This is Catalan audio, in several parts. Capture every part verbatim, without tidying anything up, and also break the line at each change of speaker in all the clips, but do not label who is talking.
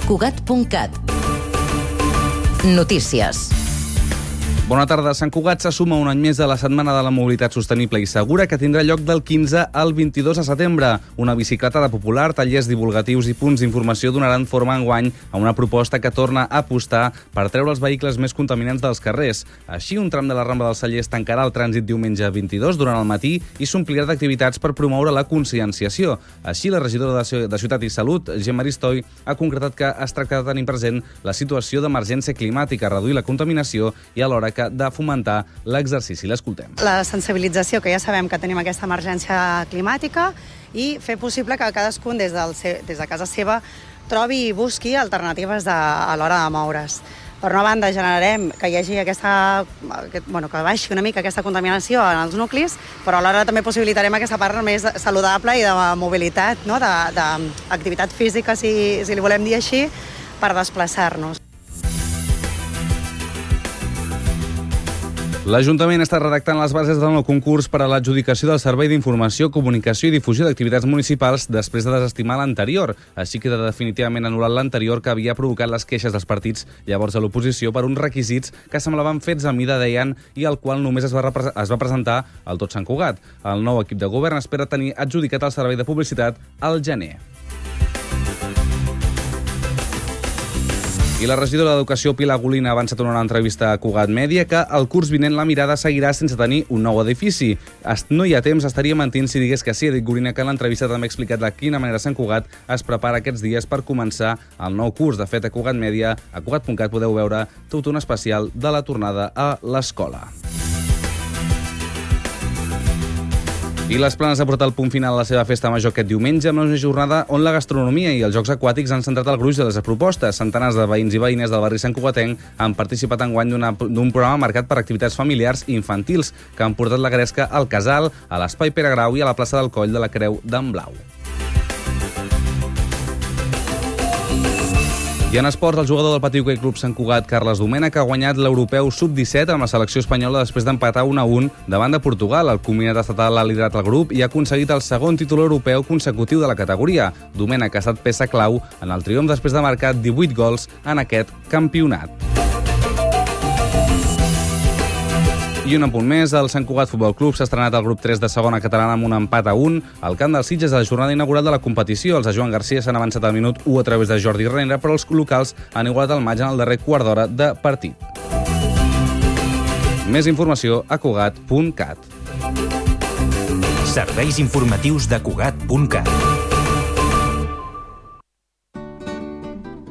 Cugat punt cat. Notícies.
Bona tarda. Sant Cugat se suma un any més a la Setmana de la Mobilitat Sostenible i Segura, que tindrà lloc del quinze al vint-i-dos de setembre. Una bicicletada popular, tallers divulgatius i punts d'informació donaran forma enguany a una proposta que torna a apostar per treure els vehicles més contaminants dels carrers. Així, un tram de la Rambla dels Cellers tancarà el trànsit diumenge vint-i-dos durant el matí i s'omplirà d'activitats per promoure la conscienciació. Així, la regidora de Ciutat i Salut, Gemma Aristoi, ha concretat que es tracta de tenir present la situació d'emergència climàtica, reduir la contaminació i alhora de fomentar l'exercici. L'escoltem.
La sensibilització, que ja sabem que tenim aquesta emergència climàtica, i fer possible que cadascun des, del, des de casa seva trobi i busqui alternatives de, a l'hora de moure's. Per una banda, generarem que hi hagi aquesta, aquest, bueno, que baixi una mica aquesta contaminació en els nuclis, però alhora també possibilitarem aquesta part més saludable i de mobilitat, no? d'activitat física, si, si li volem dir així, per desplaçar-nos.
L'Ajuntament està redactant les bases del nou concurs per a l'adjudicació del Servei d'Informació, Comunicació i Difusió d'Activitats Municipals després de desestimar l'anterior. Així queda definitivament anul·lat l'anterior, que havia provocat les queixes dels partits llavors a l'oposició per uns requisits que semblaven fets a mida, deien, i al qual només es va, es va presentar al tot Sant Cugat. El nou equip de govern espera tenir adjudicat el servei de publicitat al gener. I la regidora d'Educació, Pilar Golina, ha avançat en una entrevista a Cugat Mèdia que el curs vinent la mirada seguirà sense tenir un nou edifici. No hi ha temps, estaria mentint si digués que sí. Ha dit Golina que en l'entrevista també ha explicat de quina manera Sant Cugat es prepara aquests dies per començar el nou curs. De fet, a Cugat Mèdia, a cugat punt cat, podeu veure tot un especial de la tornada a l'escola. I les Planes ha portat el punt final a la seva festa major aquest diumenge amb una jornada on la gastronomia i els jocs aquàtics han centrat el gruix de les propostes. Centenars de veïns i veïnes del barri Sant Cugatenc han participat enguany d'un programa marcat per activitats familiars i infantils que han portat la gresca al Casal, a l'Espai Pere Grau i a la plaça del Coll de la Creu d'en Blau. I en esports, el jugador del Patí Hoquei Club Sant Cugat, Carles Domènech, ha guanyat l'europeu sub disset amb la selecció espanyola després d'empatar un a un davant de Portugal. El combinat estatal ha liderat el grup i ha aconseguit el segon títol europeu consecutiu de la categoria. Domènech ha estat peça clau en el triomf després de marcar divuit gols en aquest campionat. I un apunt més, el Sant Cugat Futbol Club s'ha estrenat al grup tres de segona catalana amb un empat a un al camp dels Sitges a la jornada inaugural de la competició. Els de Joan Garcia s'han avançat al minut u a través de Jordi Renera, però els locals han igualat el maig en el darrer quart d'hora de partit. Més informació a cugat punt cat.
Serveis informatius de cugat punt cat.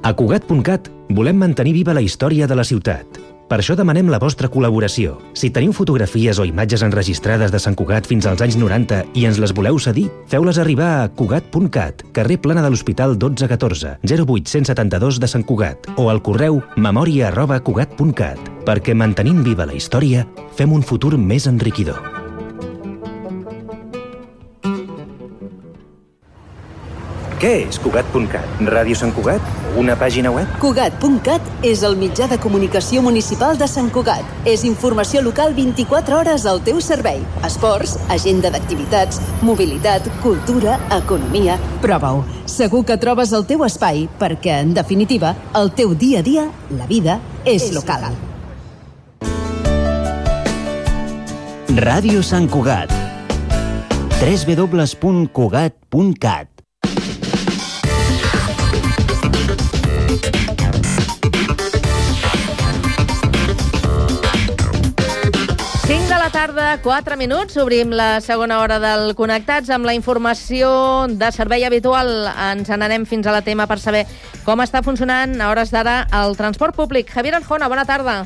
A cugat punt cat volem mantenir viva la història de la ciutat. Per això demanem la vostra col·laboració. Si teniu fotografies o imatges enregistrades de Sant Cugat fins als anys noranta i ens les voleu cedir, feu-les arribar a cugat punt cat, carrer Plana de l'Hospital dotze catorze, zero vuit cent setanta-dos de Sant Cugat, o al correu memòria arroba cugat punt cat, perquè mantenint viva la història, fem un futur més enriquidor. Què és cugat punt cat? Ràdio Sant Cugat? Una pàgina web?
Cugat punt cat és el mitjà de comunicació municipal de Sant Cugat. És informació local vint-i-quatre hores al teu servei. Esports, agenda d'activitats, mobilitat, cultura, economia... Prova-ho. Segur que trobes el teu espai perquè, en definitiva, el teu dia a dia, la vida, és local.
Ràdio Sant Cugat. w w w punt cugat punt cat.
cinc de la tarda, quatre minuts. Obrim la segona hora del Connectats amb la informació de servei habitual. Ens n'anem fins a la tema per saber com està funcionant a hores d'ara el transport públic. Javier Arjona, bona tarda.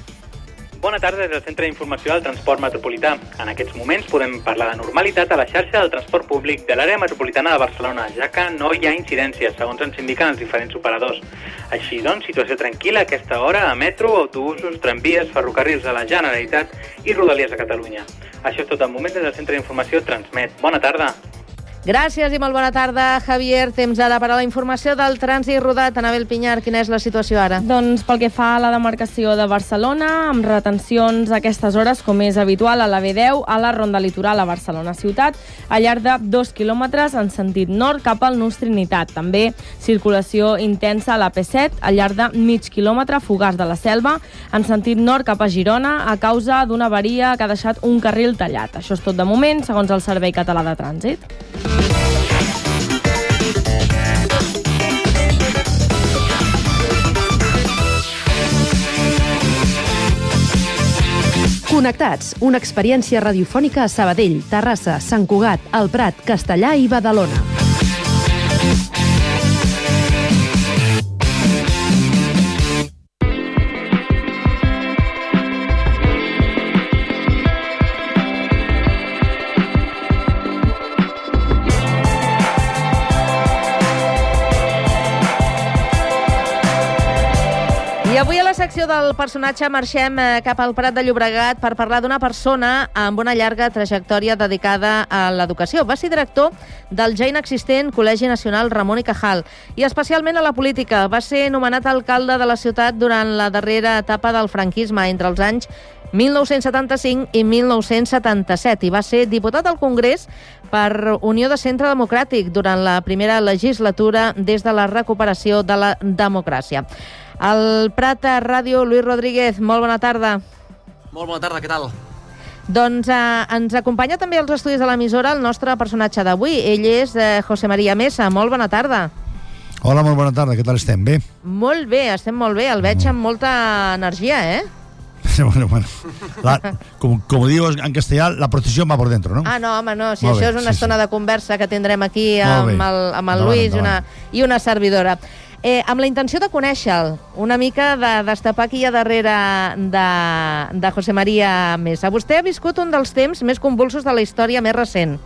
Bona tarda des del Centre d'Informació del Transport Metropolità. En aquests moments podem parlar de normalitat a la xarxa del transport públic de l'àrea metropolitana de Barcelona, ja que no hi ha incidències, segons ens indiquen els diferents operadors. Així doncs, situació tranquil·la a aquesta hora a metro, autobusos, tramvies, ferrocarrils de la Generalitat i Rodalies de Catalunya. Això és tot el moment des del Centre d'Informació Transmet. Bona tarda.
Gràcies i molt bona tarda, Javier. Temps ara per a la informació del trànsit rodat. Anabel Pinyar, quina és la situació ara?
Doncs pel que fa a la demarcació de Barcelona, amb retencions a aquestes hores, com és habitual, a la B deu, a la Ronda Litoral a Barcelona Ciutat, al llarg de dos quilòmetres en sentit nord cap al Nus Trinitat. També circulació intensa a la P set, al llarg de mig quilòmetre, Fogars de la Selva, en sentit nord cap a Girona, a causa d'una avaria que ha deixat un carril tallat. Això és tot de moment, segons el Servei Català de Trànsit.
Connectats, una experiència radiofònica a Sabadell, Terrassa, Sant Cugat, El Prat, Castellà i Badalona.
I avui a la secció del personatge marxem cap al Prat de Llobregat per parlar d'una persona amb una llarga trajectòria dedicada a l'educació. Va ser director del ja inexistent Col·legi Nacional Ramon y Cajal i especialment a la política. Va ser nomenat alcalde de la ciutat durant la darrera etapa del franquisme entre els anys mil nou-cents setanta-cinc i mil nou-cents setanta-set i va ser diputat al Congrés per Unió de Centre Democràtic durant la primera legislatura des de la recuperació de la democràcia. Al Prat Ràdio, Lluís Rodríguez, molt bona tarda.
Molt bona tarda, què tal?
Doncs eh, ens acompanya també als estudis de l'emissora el nostre personatge d'avui. Ell és eh, José María Mesa. Molt bona tarda.
Hola, molt bona tarda. Què tal estem? Bé?
Molt bé, estem molt bé. El veig amb molta energia, eh?
Bueno, bueno. La, com, como digo en castellà, la procesión va por dentro, ¿no?
Ah, no, home, no. Si
Molt
això
bé,
és una
sí,
estona
sí.
de conversa que tindrem aquí
Molt
amb
bé.
el, amb el
Endavant,
Lluís
endavant.
una, i una servidora. Eh, amb la intenció de conèixer-lo, una mica de destapar qui hi ha darrere de, de José María Mesa. Vostè ha viscut un dels temps més convulsos de la història més recent.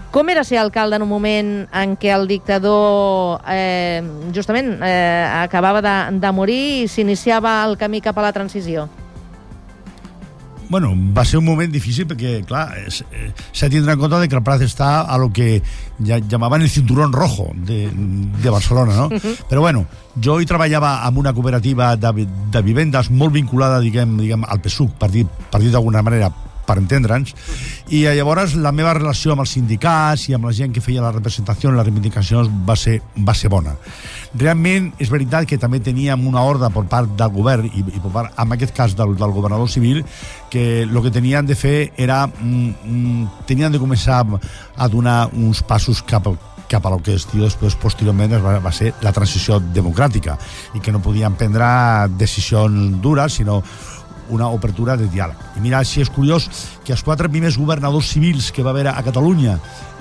Com era ser alcalde en un moment en què el dictador eh, justament eh, acabava de, de morir i s'iniciava el camí cap a la transició?
Bueno, va ser un moment difícil perquè, clar, s'ha de tindre en compte de que el Prat està a lo que ja llamaven el cinturón rojo de, de Barcelona, no? Però bueno, jo hi treballava amb una cooperativa de, de vivendes molt vinculada, diguem, diguem al P S U C, per dir, per dir d'alguna manera, per entendre'ns, i llavors la meva relació amb els sindicats i amb la gent que feia la representació, les reivindicacions, va ser, va ser bona. Realment, és veritat que també teníem una ordre per part del govern, i, i per part, en aquest cas del, del governador civil, que el que tenien de fer era... Mm, tenien de començar a donar uns passos cap al cap a lo que es diu després, posteriorment, va, va ser la transició democràtica, i que no podien prendre decisions dures, sinó una obertura de diàleg. I mira, si és curiós que els quatre primers governadors civils que va haver a Catalunya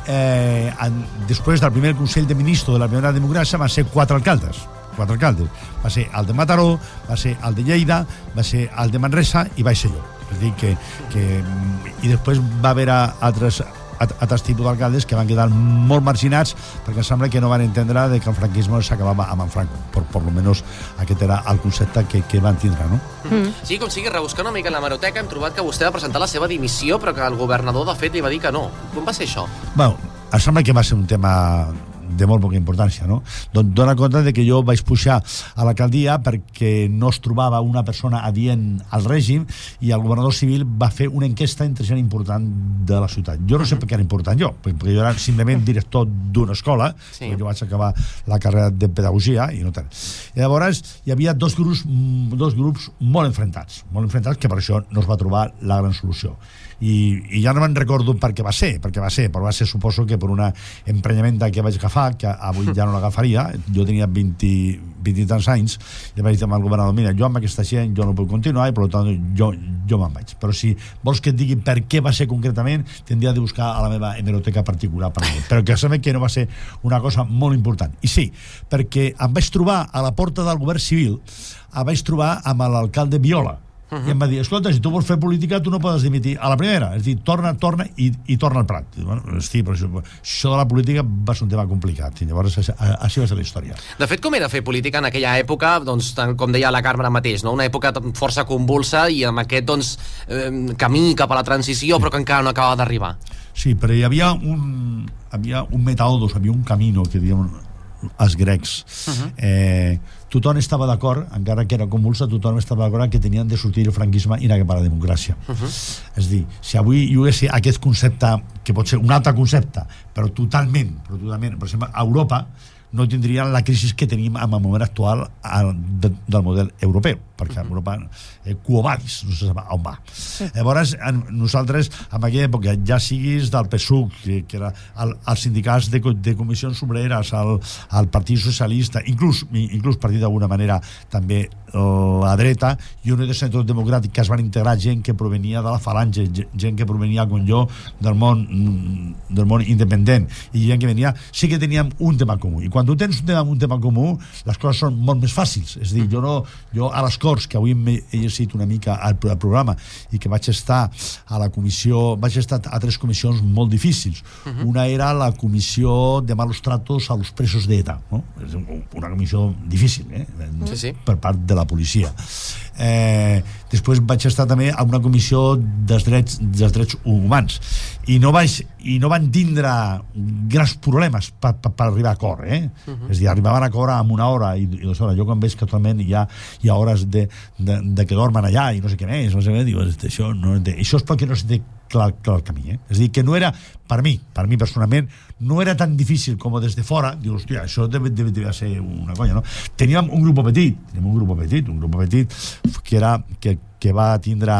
eh, en, després del primer Consell de Ministres de la primera democràcia van ser quatre alcaldes. Quatre alcaldes. Va ser el de Mataró, va ser el de Lleida, va ser el de Manresa i va ser jo. És a dir, que, que, i després va haver altres altres tipus d'alcaldes que van quedar molt marginats perquè em sembla que no van entendre de que el franquisme s'acabava amb en Franco. Per, per lo menos aquest era el concepte que, que van tindre, no?
Mm. Sí, com sigui, rebuscant una mica en la hemeroteca hem trobat que vostè va presentar la seva dimissió però que el governador de fet li va dir que no. Com va ser això? Bueno,
em sembla que va ser un tema de molt poca importància, no? Don, dona compte de que jo vaig pujar a l'alcaldia perquè no es trobava una persona adient al règim i el governador civil va fer una enquesta entre gent important de la ciutat. Jo no sé per què era important jo, perquè jo era simplement director d'una escola, sí. Jo vaig acabar la carrera de pedagogia i no tant. I llavors hi havia dos grups, dos grups molt enfrontats, molt enfrontats que per això no es va trobar la gran solució. I, i ja no me'n recordo per què va ser, perquè va ser, però va ser suposo que per una emprenyamenta que vaig agafar, que avui ja no l'agafaria, jo tenia vint, vint i tants anys, i vaig dir al governador, mira, jo amb aquesta gent jo no puc continuar i per tant jo, jo me'n vaig. Però si vols que et digui per què va ser concretament, tindria de buscar a la meva hemeroteca particular per mi. Però que sabem que no va ser una cosa molt important. I sí, perquè em vaig trobar a la porta del govern civil, em vaig trobar amb l'alcalde Viola, Uh -huh. I em va dir, escolta, si tu vols fer política, tu no podes dimitir a la primera. És dir, torna, torna i, i torna al Prat. Bueno, sí, però això, això de la política va ser un tema complicat. I llavors, així va ser la història.
De fet, com era fer política en aquella època, doncs, com deia la Carme mateix, no? Una època força convulsa i amb aquest doncs, eh, camí cap a la transició, però que encara no acabava d'arribar.
Sí, però hi havia un, havia un metaodos, havia un camino, que diuen els grecs. Uh-huh. eh, tothom estava d'acord, encara que era convulsa, tothom estava d'acord que tenien de sortir el franquisme i anar cap a la democràcia. Uh-huh. És a dir, si avui hi hagués aquest concepte, que pot ser un altre concepte, però totalment, però totalment, per exemple, a Europa no tindrien la crisi que tenim en el moment actual de, del model europeu, perquè a Europa eh, quo vadis, no se sap on va. Llavors, en, nosaltres, en aquella època, ja siguis del P S U C, que, que era el, els sindicats de, de comissions obreres, el, el Partit Socialista, inclús, inclús partit d'alguna manera també la dreta, i un de Centre Democràtic, que es van integrar gent que provenia de la Falange, gent que provenia, com jo, del món, del món independent, i gent que venia, sí que teníem un tema comú. I quan tu tens un tema, un tema comú, les coses són molt més fàcils. És a dir, jo, no, jo a les Corts, que avui m'he llegit una mica al, al programa, i que vaig estar a la comissió, vaig estar a tres comissions molt difícils. Uh-huh. Una era la comissió de malos tratos a los presos d'ETA, no? És una comissió difícil, eh?
Sí, sí.
Per part de la policia. Eh, després vaig estar també a una comissió dels drets, dels drets humans, i no, vaig, i no van tindre grans problemes per, per, per arribar a acord, eh? Uh-huh. És a dir, arribaven a acord en una hora i, i dues hores. Jo quan veig que actualment hi ha, hi ha hores de, de, de que dormen allà i no sé què més, no sé què, diu, això, no, això és perquè no se té clar, clar el camí, eh? És a dir, que no era, per mi, per mi personalment, no era tan difícil com des de fora, dius, hòstia, això deve, deve, deve ser una conya, no? Teníem un grup petit, teníem un grup petit, un grup petit que era, que, que va tindre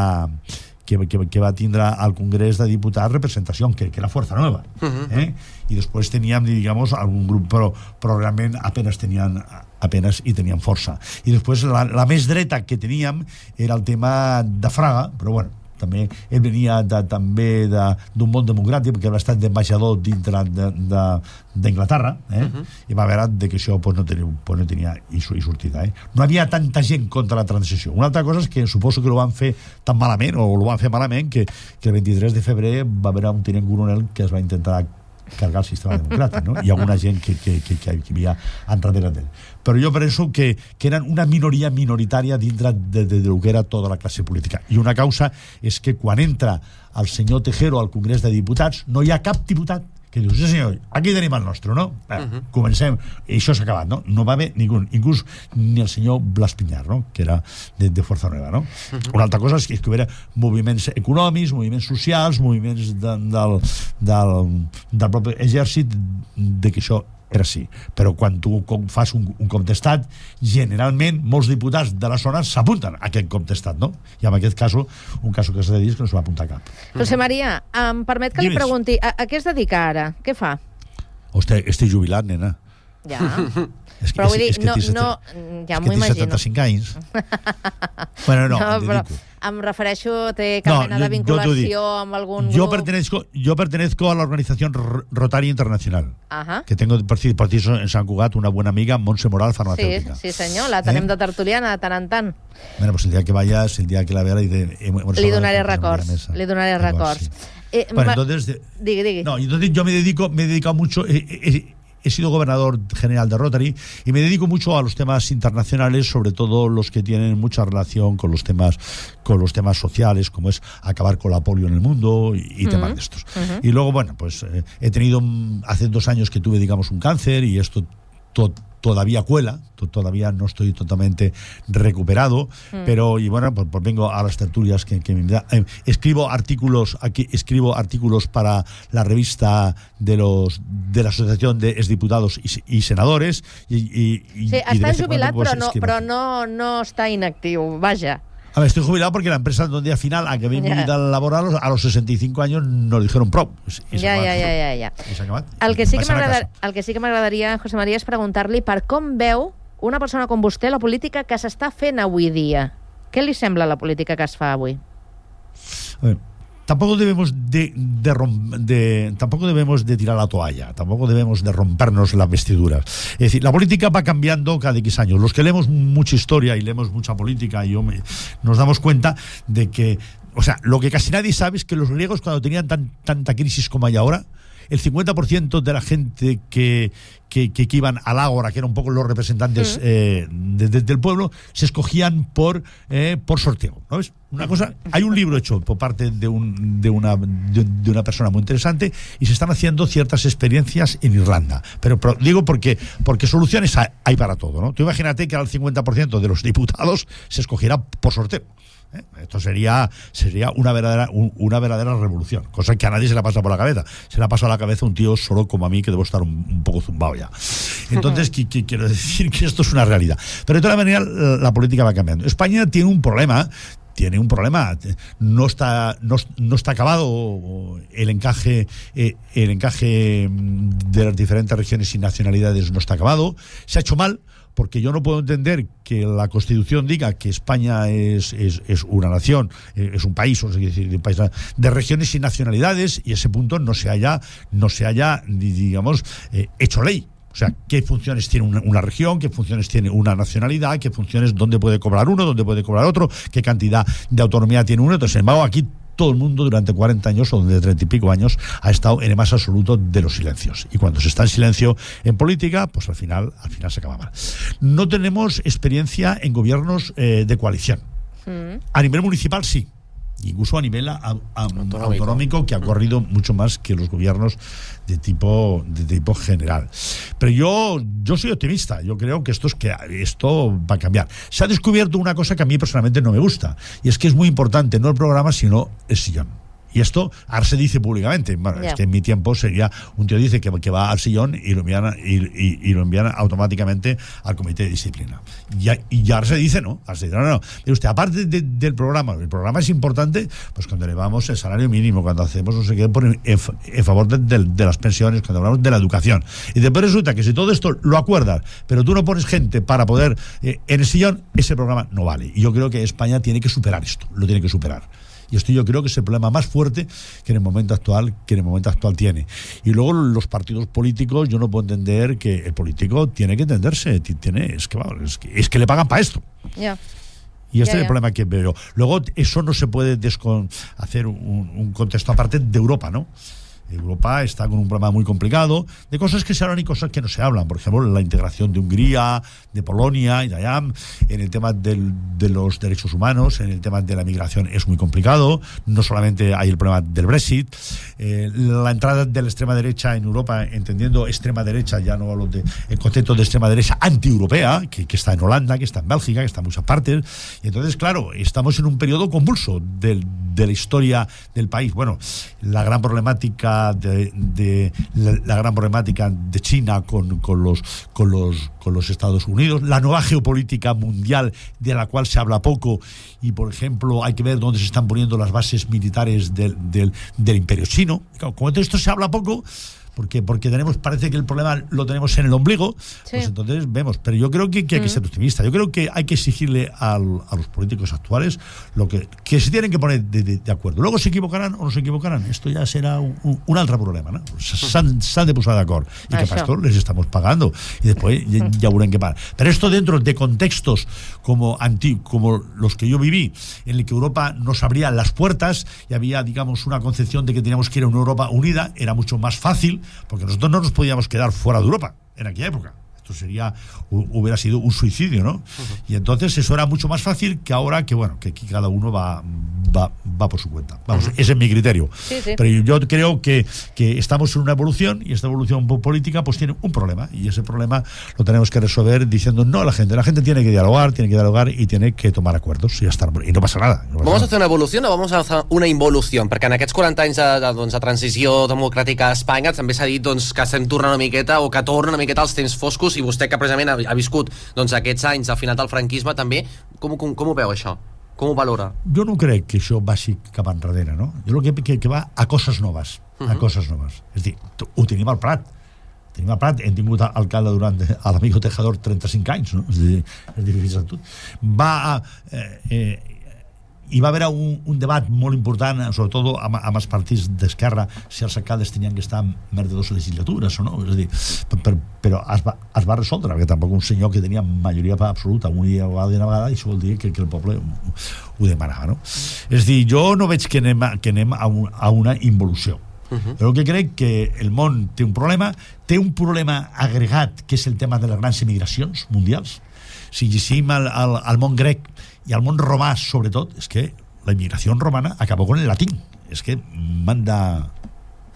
que, que, que va tindre al Congrés de Diputats representació, que, que era Fuerza Nueva, uh-huh. eh? I després teníem, digamos, algun grup, però, però realment apenas tenien apenas i tenien força. I després la, la més dreta que teníem era el tema de Fraga, però bueno, també ell venia de, també d'un món democràtic, perquè havia estat d'ambaixador dintre d'Anglaterra, eh? Uh-huh. I va veure de que això pues, no tenia, pues, no tenia i, i sortida. Eh? No havia tanta gent contra la transició. Una altra cosa és que suposo que ho van fer tan malament, o ho van fer malament, que, que el vint-i-tres de febrer va haver un tinent coronel que es va intentar cargar el sistema democràtic, no? Hi ha alguna gent que, que, que, que havia enrere d'ell. Però jo penso que, que eren una minoria minoritària dintre de, de, de lo que era tota la classe política. I una causa és que quan entra el senyor Tejero al Congrés de Diputats no hi ha cap diputat que diu, sí senyor, aquí tenim el nostre, no? Bé, uh-huh. Comencem, i això s'ha acabat, no? No va haver ningú, inclús ni el senyor Blas Piñar, no? Que era de, de Fuerza Nueva, no? Uh-huh. Una altra cosa és que hi havia moviments econòmics, moviments socials, moviments de, del, del, del propi exèrcit, de que això era així. Però quan tu fas un, un cop d'estat, generalment molts diputats de la zona s'apunten a aquest cop d'estat, no? I en aquest cas, un cas que s'ha de dir és que no s'ho va apuntar cap.
José María, em permet que li pregunti, a, a què es dedica ara? Què fa?
Hosti, estic jubilat, nena.
Ja.
És que,
però vull dir,
és que
no,
set...
no, ja m'ho imagino.
setanta-cinc anys. Bueno, no,
no
em
però
dedico.
Em refereixo, té cap
no,
mena de vinculació amb algun
yo
grup?
Pertenezco, yo pertenezco a la organización Rotaria Internacional.
Ajá.
Que tengo partido en San Cugat, una buena amiga, Montse Moral, farmacéutica.
Sí, sí senyor, la tenim eh? de tertuliana de tant en tant.
Bueno, pues el día que vayas, el día que la vea, li, de,
li donaré records. Li donaré records. Sí.
Eh, bueno, entonces... De,
digui, digui.
No, entonces yo me dedico, me he dedicado mucho... Eh, eh, He sido gobernador general de Rotary y me dedico mucho a los temas internacionales, sobre todo los que tienen mucha relación con los temas con los temas sociales, como es acabar con la polio en el mundo y, y uh-huh. temas de estos. Uh-huh. Y luego, bueno, pues eh, he tenido, hace dos años que tuve, digamos, un cáncer y esto to, todavía cuela, to, todavía no estoy totalmente recuperado, mm. pero, y bueno, pues, pues vengo a las tertulias que, que me da. Eh, escribo artículos, aquí escribo artículos para la revista de los de la Asociación de Exdiputados y, y Senadores y, y,
sí,
y
està jubilat, però, no, però no, no està inactiu, vaja.
A ver, estoy jubilado porque la empresa donde al final, a que mi vida yeah. laboral, a los sesenta y cinco años nos dijeron pro.
I ja, ja, ja, ja, ja. El que sí que m'agradaria, el que sí que m'agradaria, José María, és preguntar-li per com veu una persona com vostè la política que s'està fent avui dia. Què li sembla la política que es fa avui?
A ver, tampoco debemos de, de, de tampoco debemos de tirar la toalla, tampoco debemos de rompernos las vestiduras. Es decir, la política va cambiando cada X años. Los que leemos mucha historia y leemos mucha política, y yo me, nos damos cuenta de que, o sea, lo que casi nadie sabe es que los griegos, cuando tenían tan, tanta crisis como hay ahora, el cincuenta por ciento de la gente que, que, que, que iban al ágora, que eran un poco los representantes eh, de, de, del pueblo, se escogían por, eh, por sorteo, ¿no ves? Una cosa, hay un libro hecho por parte de, un, de, una, de, de una persona muy interesante, y se están haciendo ciertas experiencias en Irlanda. Pero, pero digo porque, porque soluciones hay, hay para todo, ¿no? Tú imagínate que al cincuenta por ciento de los diputados se escogiera por sorteo. ¿Eh? Esto sería sería una verdadera un, una verdadera revolución, cosa que a nadie se le pasa por la cabeza. Se le ha pasado a la cabeza un tío solo como a mí, que debo estar un, un poco zumbado ya. Entonces, que, que, quiero decir que esto es una realidad. Pero de todas maneras, la, la política va cambiando. España tiene un problema. Tiene un problema, no está no, no está acabado el encaje eh, el encaje de las diferentes regiones y nacionalidades, no está acabado. Se ha hecho mal, porque yo no puedo entender que la Constitución diga que España es, es, es una nación, es un país, o sea, decir, un país de regiones y nacionalidades, y ese punto no se haya, no se haya digamos, eh, hecho ley. O sea, qué funciones tiene una, una región, qué funciones tiene una nacionalidad, qué funciones, dónde puede cobrar uno, dónde puede cobrar otro, qué cantidad de autonomía tiene uno. Entonces, sin embargo, aquí todo el mundo durante cuarenta años o de treinta y pico años ha estado en el más absoluto de los silencios. Y cuando se está en silencio en política, pues al final, al final se acaba mal. No tenemos experiencia en gobiernos eh, de coalición. Mm. A nivel municipal sí. Incluso a nivel a, a, autonómico. autonómico, que ha corrido mucho más que los gobiernos de tipo de tipo general. Pero yo yo soy optimista. Yo creo que esto es que esto va a cambiar. Se ha descubierto una cosa que a mí personalmente no me gusta, y es que es muy importante no el programa sino el sillón. Y esto ahora se dice públicamente. Bueno, yeah. Es que en mi tiempo sería un tío dice que, que va al sillón y lo envían y, y, y lo envían automáticamente al comité de disciplina. Y, y ahora se dice no, ahora se dice, no, no, no. Pero usted, aparte de, del programa, el programa es importante, pues cuando elevamos el salario mínimo, cuando hacemos no sé qué por en, en favor de, de, de las pensiones, cuando hablamos de la educación. Y después resulta que si todo esto lo acuerdas, pero tú no pones gente para poder eh, en el sillón, ese programa no vale. Y yo creo que España tiene que superar esto, lo tiene que superar. Y esto yo creo que es el problema más fuerte que en el momento actual que en el momento actual tiene. Y luego los partidos políticos, yo no puedo entender que el político tiene que entenderse, tiene es que es que, es que le pagan para esto.
Yeah.
Y este
yeah,
es el
yeah.
problema que veo. Luego eso no se puede descon hacer un, un contexto aparte de Europa, ¿no? Europa está con un problema muy complicado de cosas que se hablan y cosas que no se hablan. Por ejemplo, la integración de Hungría, de Polonia y de allá, en el tema del, de los derechos humanos, en el tema de la migración es muy complicado. No solamente hay el problema del Brexit, eh, la entrada de la extrema derecha en Europa, entendiendo extrema derecha, ya no hablo de el concepto de extrema derecha anti-europea, que, que está en Holanda, que está en Bélgica, que está en muchas partes. Y entonces, claro, estamos en un periodo convulso del, de la historia del país. Bueno, la gran problemática De, de la, la gran problemática de China con, con los con los con los Estados Unidos, la nueva geopolítica mundial de la cual se habla poco, y por ejemplo hay que ver dónde se están poniendo las bases militares del, del, del imperio chino. Como de esto se habla poco, porque porque tenemos parece que el problema lo tenemos en el ombligo, sí. Pues entonces vemos. Pero yo creo que, que hay que ser optimista. Yo creo que hay que exigirle al, a los políticos actuales lo que, que se tienen que poner de, de, de acuerdo. Luego se equivocarán o no se equivocarán. Esto ya será un, un, un altre problema, no? S'han de posar d'acord. I que para esto les estamos pagando. Y después ya, ya verán qué pasa. Pero esto dentro de contextos como, anti, como los que yo viví, en el que Europa nos abría las puertas y había, digamos, una concepción de que teníamos que ir a una Europa unida, era mucho más fácil, porque nosotros no nos podíamos quedar fuera de Europa en aquella época. Esto sería, hubiera sido un suicidio, ¿no? Uh-huh. Y entonces eso era mucho más fácil que ahora, que bueno, que aquí cada uno va, va, va por su cuenta. Vamos, uh-huh. Ese es mi criterio. Sí, sí. Pero yo creo que, que estamos en una evolución, y esta evolución política pues tiene un problema, y ese problema lo tenemos que resolver diciendo no a la gente. La gente tiene que dialogar, tiene que dialogar y tiene que tomar acuerdos, y, ya está, y no pasa nada. No pasa
¿Vamos
nada.
a hacer una evolución o vamos a hacer una involución? Perquè en aquests quaranta anys de, de, doncs, de transició democràtica a Espanya també s'ha dit doncs, que estem tornant una miqueta, o que torna una miqueta als temps foscos, i vostè que precisament ha viscut doncs, aquests anys al final del franquisme també, com, com, com ho veu això? Com ho valora?
Jo no crec que això vagi cap enrere, no? Jo crec que, que va a coses noves, uh-huh. a coses noves. És a dir, ho tenim al Prat, tenim al Prat, hem tingut alcalde durant a l'amigo Tejador trenta-cinc anys, no? És a dir, és difícil tot. Va a... Eh, eh, hi va haver un, un debat molt important, sobretot amb, amb els partits d'esquerra, si els alcaldes tenien que estar més de dues legislatures o no, és a dir, per, per, però es va, es va resoldre, perquè tampoc un senyor que tenia majoria absoluta un dia o una vegada, i això vol dir que, que el poble ho, ho demanava, no? És a dir, jo no veig que anem, que anem a, un, a una involució. Uh-huh. Però que crec que el món té un problema, té un problema agregat, que és el tema de les grans emigracions mundials. Si llegim al, al, al món grec i al món romà, sobretot, és que la immigració romana acabó con el latín. És que manda,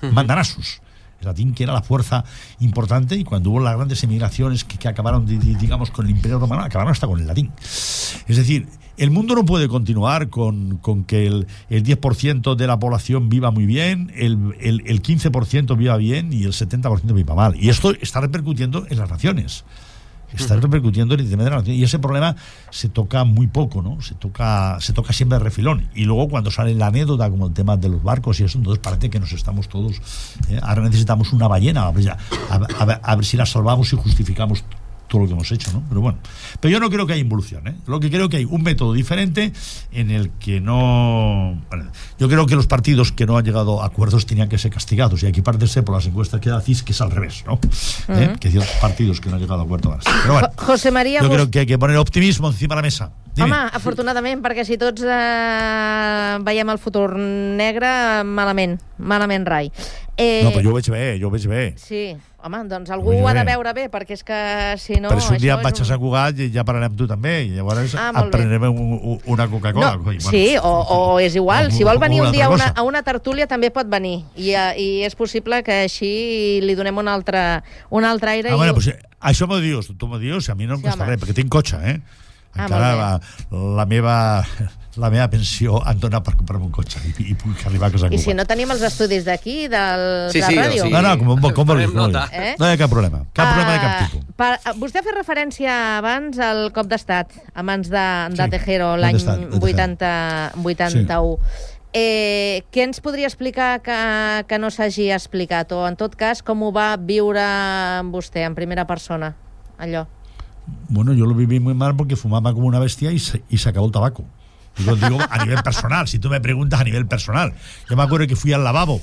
uh-huh. mandanazos. El latín, que era la fuerza importante, y cuando hubo las grandes emigraciones que, que acabaron, digamos, con el Imperio Romano, acabaron hasta con el latín. Es decir, el mundo no puede continuar con, con que el, el diez por ciento de la población viva muy bien, el, el, el quince por ciento viva bien y el setenta por ciento viva mal. Y esto está repercutiendo en las naciones. Está repercutiendo en el tema de la nación. Y ese problema se toca muy poco, ¿no? Se toca, se toca siempre de refilón. Y luego cuando sale la anécdota, como el tema de los barcos y eso, entonces parece que nos estamos todos... Eh, ahora necesitamos una ballena, a ver, a, a, ver, a ver si la salvamos y justificamos todo lo que hemos hecho, ¿no? Pero bueno, pero yo no creo que haya involución, ¿eh? Lo que creo que hay un método diferente en el que no... Bueno, yo creo que los partidos que no han llegado a acuerdos tenían que ser castigados, y aquí parece por las encuestas que decís que es al revés, ¿no? Uh-huh. ¿Eh? Que ciertos partidos que no han llegado a acuerdos van a ser. Pero bueno,
José María,
yo
Gust...
creo que hay que poner optimismo encima de la mesa. Dime.
Home, afortunadament, perquè si tots eh, veiem el futur negre, malament, malament rai.
Eh... No, però jo ho veig bé, jo ho veig bé.
Sí, home, doncs algú ho ha de veure bé, perquè és que si no...
Per si un dia em vaig a Sant Cugat ja parlarem tu també, i llavors ah, prendrem un, un, una Coca-Cola.
No, bueno, sí, o, o és igual, si vol venir un dia a una, a una tertúlia també pot venir, i, i és possible que així li donem un altre, un altre aire.
Ah,
i...
bueno, pues, això m'ho dius, tu m'ho dius, a mi no em sí, costa res, perquè tinc cotxe, eh? Encara ah, la, la meva la meva pensió em dona per comprar-me un cotxe i, i puc arribar a casa.
I si no tenim els estudis d'aquí, del, sí, de
sí,
ràdio?
Sí.
No, no, com, com, com vulguis, no, eh? no hi ha cap problema, cap uh, problema de cap tipus.
Per, vostè ha fet referència abans al cop d'estat a mans de, de sí, Tejero l'any vuitanta-u. Sí. Eh, què ens podria explicar que, que no s'hagi explicat? O, en tot cas, com ho va viure vostè en primera persona, allò?
Bueno, yo lo viví muy mal porque fumaba como una bestia y se, y se acabó el tabaco. Y lo digo a nivel personal, si tú me preguntas a nivel personal. Yo me acuerdo que fui al lavabo,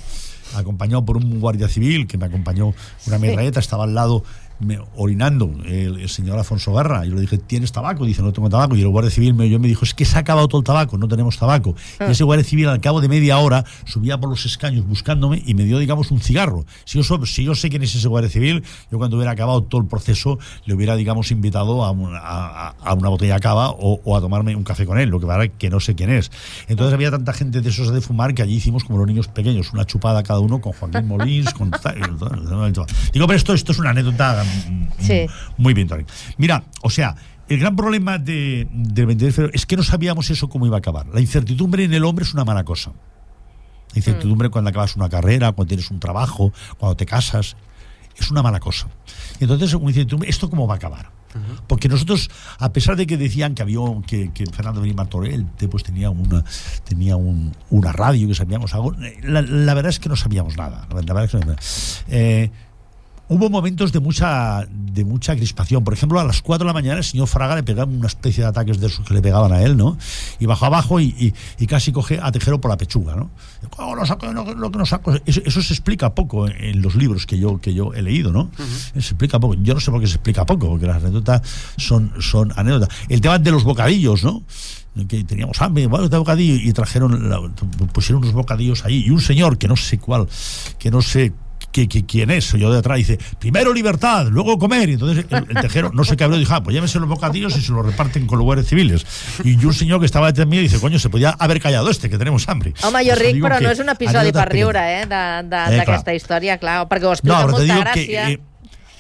acompañado por un guardia civil que me acompañó una metralleta, estaba al lado me, orinando el, el señor Alfonso Guerra. Yo le dije, ¿tienes tabaco? Dice, no tengo tabaco. Y el guardia civil me, yo me dijo, es que se ha acabado todo el tabaco, no tenemos tabaco. Ah. Y ese guardia civil al cabo de media hora subía por los escaños buscándome y me dio, digamos, un cigarro. Si yo, si yo sé quién es ese guardia civil, yo cuando hubiera acabado todo el proceso le hubiera, digamos, invitado a una, a, a una botella de cava o, o a tomarme un café con él, lo que pasa es que no sé quién es. Entonces había tanta gente de esos de fumar que allí hicimos como los niños pequeños, una chupada cada uno con Joaquín Molins, con... Digo, pero esto, esto es una anécdota... Sí. Muy bien, Tony. Mira, o sea, el gran problema de, del veintitrés de febrero es que no sabíamos eso cómo iba a acabar. La incertidumbre en el hombre es una mala cosa. La incertidumbre mm. cuando acabas una carrera, cuando tienes un trabajo, cuando te casas, es una mala cosa. Entonces, una incertidumbre, ¿esto cómo va a acabar? Uh-huh. Porque nosotros, a pesar de que decían que había que, que Fernando Benítez Martorell pues tenía una tenía un, una radio, que sabíamos algo, la, la verdad es que no sabíamos nada. La verdad es que no, eh, hubo momentos de mucha de mucha crispación. Por ejemplo, a las cuatro de la mañana el señor Fraga le pegaba una especie de ataques de esos que le pegaban a él, ¿no? Y bajó abajo y, y, y casi coge a Tejero por la pechuga, ¿no? Oh, lo saco, lo, lo que no saco. Eso, eso se explica poco en los libros que yo que yo he leído, ¿no? Uh-huh. Se explica poco. Yo no sé por qué se explica poco, porque las anécdotas son, son anécdotas. El tema de los bocadillos, ¿no? Que teníamos hambre, bueno, de bocadillo, y trajeron, la, pusieron unos bocadillos ahí, y un señor que no sé cuál, que no sé Que, que, quién es, yo de atrás dice, primero libertad, luego comer, y entonces el, el Tejero no sé qué habló, dijo, ah, pues llévense los bocadillos y se los reparten con los guardias civiles. Y un señor que estava detrás mío dice, coño, se podía haber callado este, que tenemos hambre.
Home, jo ric, però no és un episodi per riure, eh, d'aquesta eh, història, clar, perquè ho explica no, molta gràcia. Que, eh,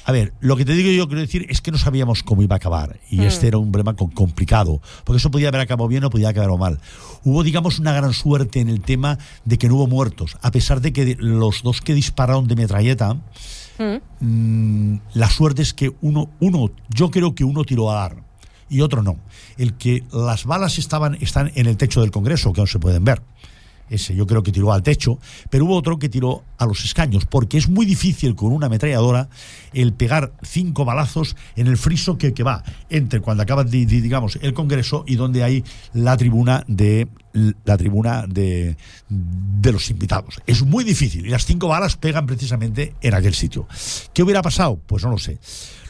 A ver, lo que te digo yo quiero decir es que no sabíamos cómo iba a acabar, y mm. este era un problema complicado, porque eso podía haber acabado bien o podía acabar mal. Hubo, digamos, una gran suerte en el tema de que no hubo muertos, a pesar de que los dos que dispararon de metralleta, mm. mmm, la suerte es que uno, uno, yo creo que uno tiró a dar y otro no. El que las balas estaban están en el techo del Congreso, que no se pueden ver. ese yo creo que tiró al techo, pero hubo otro que tiró a los escaños, porque es muy difícil con una ametralladora el pegar cinco balazos en el friso que, que va entre cuando acaba de, de, digamos el Congreso y donde hay la tribuna de la tribuna de, de los invitados. Es muy difícil y las cinco balas pegan precisamente en aquel sitio. ¿Qué hubiera pasado? Pues no lo sé.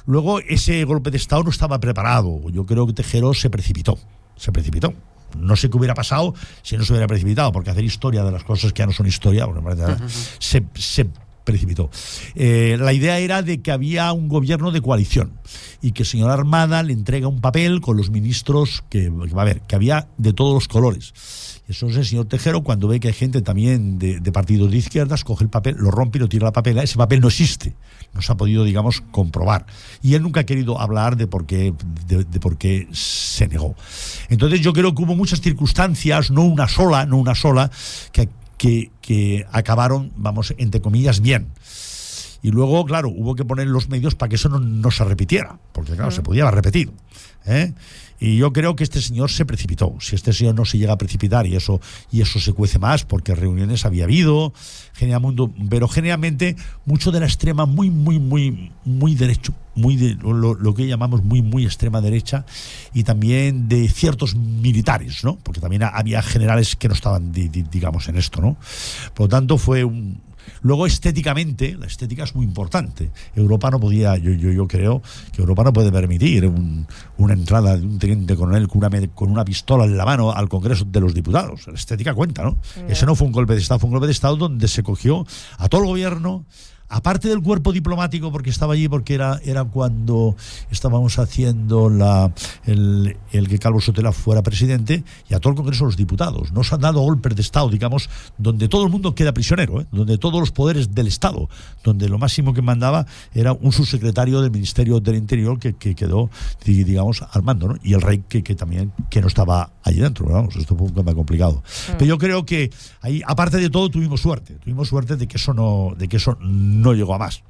Luego ese golpe de Estado no estaba preparado. Yo creo que Tejero se precipitó, se precipitó. No sé qué hubiera pasado si no se hubiera precipitado, porque hacer historia de las cosas que ya no son historia, bueno, uh-huh. se, se precipitó. Eh, la idea era de que había un gobierno de coalición y que el señor Armada le entrega un papel con los ministros que, que va a ver, que había de todos los colores. Eso es el señor Tejero, cuando ve que hay gente también de, de partidos de izquierdas, coge el papel, lo rompe y lo tira a la papela. Ese papel no existe, no se ha podido, digamos, comprobar. Y él nunca ha querido hablar de por qué, de, de por qué se negó. Entonces yo creo que hubo muchas circunstancias, no una sola, no una sola, que, que, que acabaron, vamos, entre comillas, bien. Y luego, claro, hubo que poner los medios para que eso no, no se repitiera, porque claro, mm. se podía haber repetido, ¿eh? Y yo creo que este señor se precipitó. Si este señor no se llega a precipitar y eso y eso se cuece más, porque reuniones había habido, mundo, pero generalmente mucho de la extrema muy, muy, muy, muy derecho, muy de, lo, lo que llamamos muy, muy extrema derecha, y también de ciertos militares, ¿no? Porque también había generales que no estaban, di, di, digamos, en esto, ¿no? Por lo tanto, fue un... Luego, estéticamente, la estética es muy importante. Europa no podía, yo, yo, yo creo que Europa no puede permitir un, una entrada de un teniente coronel con una, con una pistola en la mano al Congreso de los Diputados. La estética cuenta, ¿no? Yeah. Ese no fue un golpe de Estado, fue un golpe de Estado donde se cogió a todo el gobierno, aparte del cuerpo diplomático, porque estaba allí, porque era, era cuando estábamos haciendo la, el, el que Calvo Sotelo fuera presidente, y a todo el Congreso de los Diputados. No se han dado golpes de Estado, digamos, donde todo el mundo queda prisionero, ¿eh? Donde todos los poderes del Estado, donde lo máximo que mandaba era un subsecretario del Ministerio del Interior que, que quedó, digamos, al mando, ¿no? Y el rey que, que también que no estaba allí dentro. Vamos, esto fue un tema complicado. Mm. Pero yo creo que ahí, aparte de todo, tuvimos suerte. Tuvimos suerte de que eso no, de que eso no llegó a más.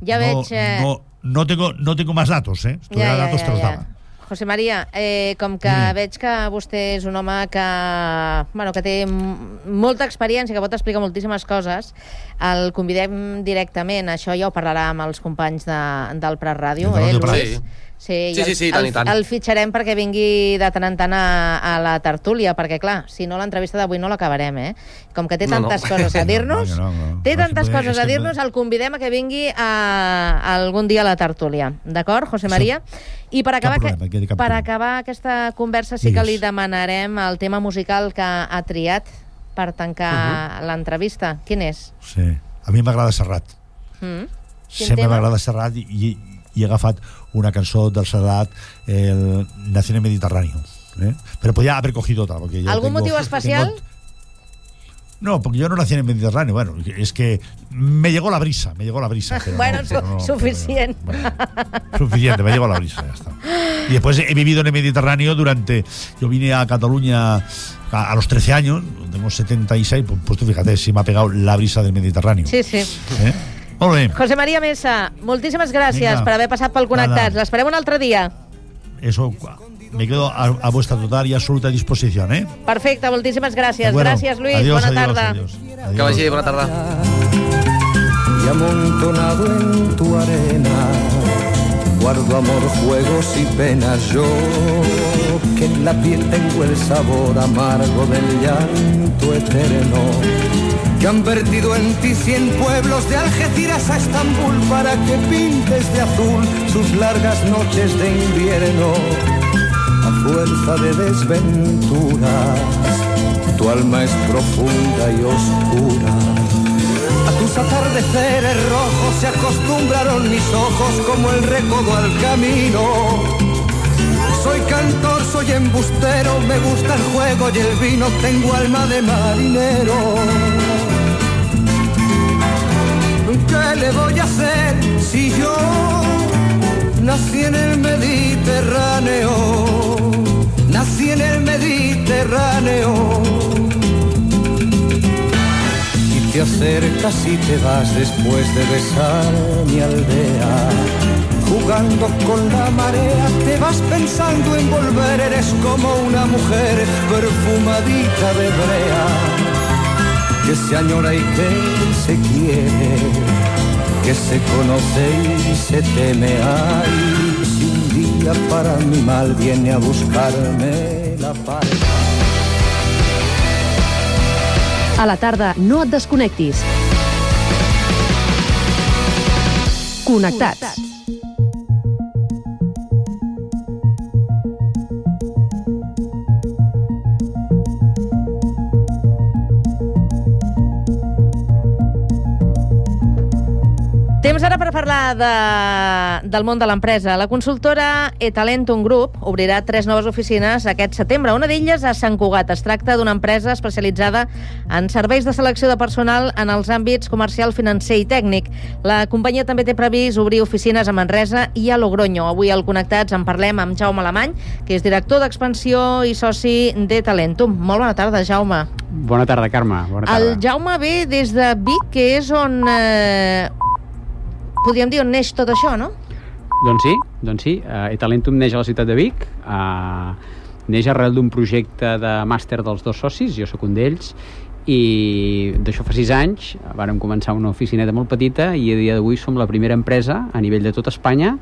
Ja
no,
veig... Eh...
No, no, tengo, no tengo más datos, ¿eh? Si tuviera
ja, ja,
datos
ja,
te los
ja.
daba.
José María, eh, com que mm. veig que vostè és un home que, bueno, que té molta experiència, que pot explicar moltíssimes coses, el convidem directament, això ja ho parlarà amb els companys de, del Prat Ràdio, eh, Luis?
Sí.
Sí,
sí, sí, sí, tant i tant.
El, el fitxarem perquè vingui de tant en tant a, a la tertúlia, perquè, clar, si no, l'entrevista d'avui no l'acabarem, eh? Com que té tantes no, no. coses a dir-nos, no, no, no. té no, tantes no, coses a dir-nos, el convidem a que vingui a, a algun dia a la tertúlia. D'acord, José María? I per acabar, problema, que, per acabar aquesta conversa sí que li demanarem el tema musical que ha triat per tancar uh-huh. l'entrevista. Quin és?
Sí, a mi m'agrada Serrat. Mm. Sempre m'agrada Serrat i... i i he agafat una cançó del Serrat, el Nació en el Mediterráneo, ¿eh? Pero podía haber cogido otra. Porque ya
¿Algún
tengo,
motivo especial?
Tengo... No, porque yo no nací en el Mediterráneo. Bueno, es que me llegó la brisa, me llegó la brisa. Pero
bueno,
no,
su
pero no,
suficiente.
Pero, bueno, suficiente, me llegó la brisa, ya está. Y después he vivido en el Mediterráneo durante... Yo vine a Cataluña a, a los trece años, tengo setenta y seis, pues, pues tú fíjate, si me ha pegado la brisa del Mediterráneo.
Sí, sí.
¿Eh? Molt bé.
José María Mesa, moltíssimes gràcies Venga. per haver passat pel Connectats. L'esperem un altre dia.
Eso, me quedo a, a vuestra total y absoluta disposición, ¿eh?
Perfecte, moltíssimes gràcies.
Bueno,
gràcies, Luis.
adiós,
bona
adiós,
tarda.
Adiós, adiós.
Que vagi, bona tarda.
Y amontonado en tu arena guardo amor, juegos y penas. Yo que en la piel tengo el sabor amargo del llanto eterno, que han vertido en ti cien pueblos de Algeciras a Estambul para que pintes de azul sus largas noches de invierno. A fuerza de desventuras tu alma es profunda y oscura. A tus atardeceres rojos se acostumbraron mis ojos como el recodo al camino. Soy cantor, soy embustero, me gusta el juego y el vino, tengo alma de marinero. ¿Qué le voy a hacer si yo nací en el Mediterráneo? Nací en el Mediterráneo. Y te acercas y te vas después de besar mi aldea. Jugando con la marea, te vas pensando en volver. Eres como una mujer perfumadita de brea. que se añora y que se quiere, que se conoce y se teme. Ay, si un día para mi mal viene a buscarme la pareja.
A la tarda no et desconnectis. Connectats.
Temps ara per parlar de, del món de l'empresa. La consultora eTalentum Group obrirà tres noves oficines aquest setembre. Una d'elles a Sant Cugat. Es tracta d'una empresa especialitzada en serveis de selecció de personal en els àmbits comercial, financer i tècnic. La companyia també té previst obrir oficines a Manresa i a Logroño. Avui al Connectats en parlem amb Jaume Alemany, que és director d'expansió i soci d'eTalentum. Molt bona tarda, Jaume.
Bona tarda, Carme. Bona tarda.
El Jaume ve des de Vic, que és on... Eh, podríem dir on neix tot això, no?
Doncs sí, doncs sí. Uh, eTalentum neix a la ciutat de Vic, uh, neix arrel d'un projecte de màster dels dos socis, jo sóc un d'ells, i d'això fa sis anys vàrem començar una oficineta molt petita i a dia d'avui som la primera empresa a nivell de tot Espanya,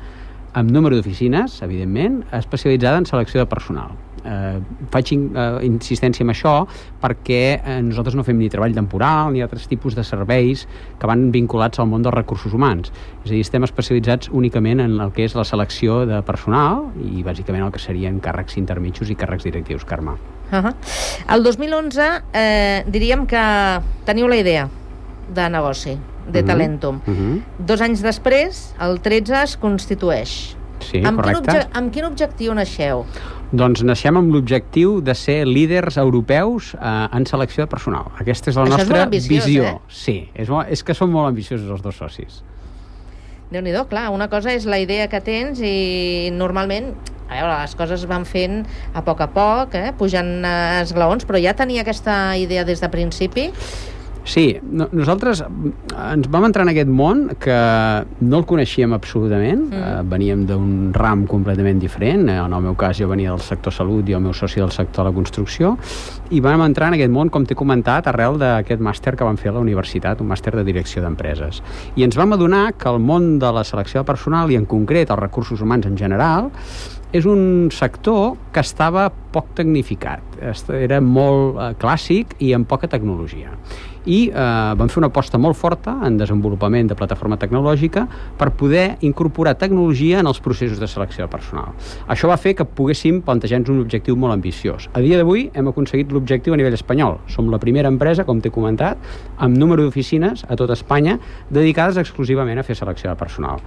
amb número d'oficines, evidentment, especialitzada en selecció de personal. Eh, faig eh, insistència en això perquè eh, nosaltres no fem ni treball temporal ni altres tipus de serveis que van vinculats al món dels recursos humans. És a dir, estem especialitzats únicament en el que és la selecció de personal i bàsicament el que serien càrrecs intermitjos i càrrecs directius, Carme.
Uh-huh. El dos mil onze eh, diríem que teniu la idea de negoci d'eTalentum. Uh-huh. Uh-huh. Dos anys després, el tretze es constitueix.
Sí,
amb
correcte.
Quin obje- amb quin objectiu naixeu?
Doncs naixem amb l'objectiu de ser líders europeus eh, en selecció de personal. Aquesta és la
Això és
nostra
molt ambiciós,
visió.
eh?
Sí, és, molt, és que som molt ambiciosos els dos socis.
Déu-n'hi-do, clar, una cosa és la idea que tens i normalment, a veure, les coses van fent a poc a poc, eh, pujant eh, esglaons, però ja tenia aquesta idea des de principi?
Sí, no, nosaltres ens vam entrar en aquest món que no el coneixíem absolutament, mm. eh, veníem d'un ram completament diferent, en el meu cas jo venia del sector salut i el meu soci del sector de la construcció, i vam entrar en aquest món, com t'he comentat, arrel d'aquest màster que vam fer a la universitat, un màster de direcció d'empreses. I ens vam adonar que el món de la selecció de personal, i en concret els recursos humans en general, és un sector que estava poc tecnificat, era molt eh, clàssic i amb poca tecnologia. I eh, vam fer una aposta molt forta en desenvolupament de plataforma tecnològica per poder incorporar tecnologia en els processos de selecció de personal. Això va fer que poguéssim plantejar-nos un objectiu molt ambiciós. A dia d'avui hem aconseguit l'objectiu a nivell espanyol. Som la primera empresa, com t'he comentat, amb número d'oficines a tot Espanya dedicades exclusivament a fer selecció de personal.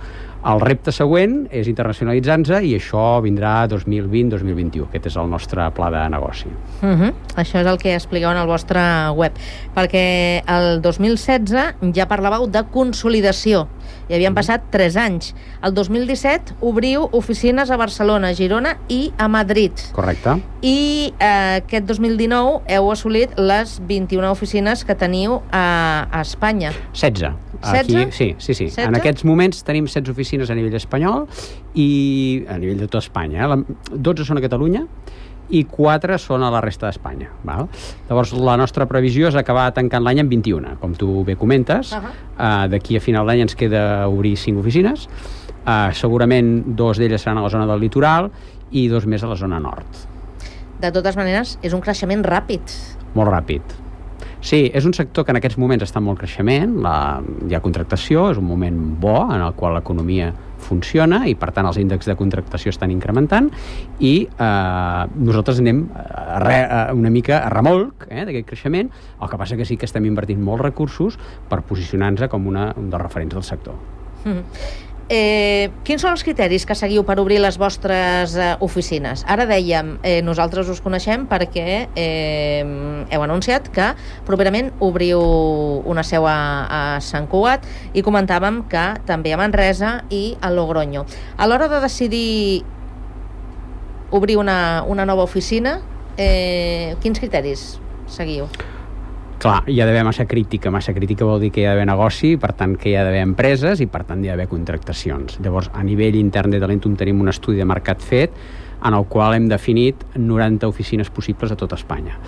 El repte següent és internacionalitzar-nos i això vindrà dos mil vint dos mil vint-i-u. Aquest és el nostre pla de negoci.
Uh-huh. Això és el que expliqueu en el vostre web. Perquè el dos mil setze ja parlàveu de consolidació. Hi havien passat tres anys. El dos mil disset obriu oficines a Barcelona, Girona i a Madrid.
Correcte.
I eh, aquest dos mil dinou heu assolit les vint-i-una oficines que teniu a, a Espanya.
setze.
setze?
Aquí, sí, sí, sí.
setze?
En aquests moments tenim setze oficines a nivell espanyol i a nivell de tot Espanya. Eh? La, dotze són a Catalunya i quatre són a la resta d'Espanya. Val? Llavors, la nostra previsió és acabar tancant l'any amb vint-i-una, com tu bé comentes. Uh-huh. Uh, d'aquí a final d'any ens queda obrir cinc oficines. Uh, segurament dos d'elles seran a la zona del litoral i dos més a la zona nord.
De totes maneres, és un creixement ràpid.
Molt ràpid. Sí, és un sector que en aquests moments està en molt creixement, la, hi ha contractació, és un moment bo en el qual l'economia funciona i per tant els índexs de contractació estan incrementant i eh, nosaltres anem a re, a una mica a remolc eh, d'aquest creixement, el que passa que sí que estem invertint molts recursos per posicionar-nos com una, un dels referents del sector.
Mm. Eh, quins són els criteris que seguiu per obrir les vostres eh, oficines? Ara dèiem, eh, nosaltres us coneixem perquè eh, heu anunciat que properament obriu una seu a, a Sant Cugat i comentàvem que també a Manresa i a Logroño. A l'hora de decidir obrir una, una nova oficina, eh, quins criteris seguiu?
Clar, hi ha d'haver massa crítica. Massa crítica vol dir que hi ha d'haver negoci, per tant que hi ha d'haver empreses i per tant hi ha d'haver contractacions. Llavors, a nivell intern d'eTalentum tenim un estudi de mercat fet en el qual hem definit noranta oficines possibles a tot Espanya.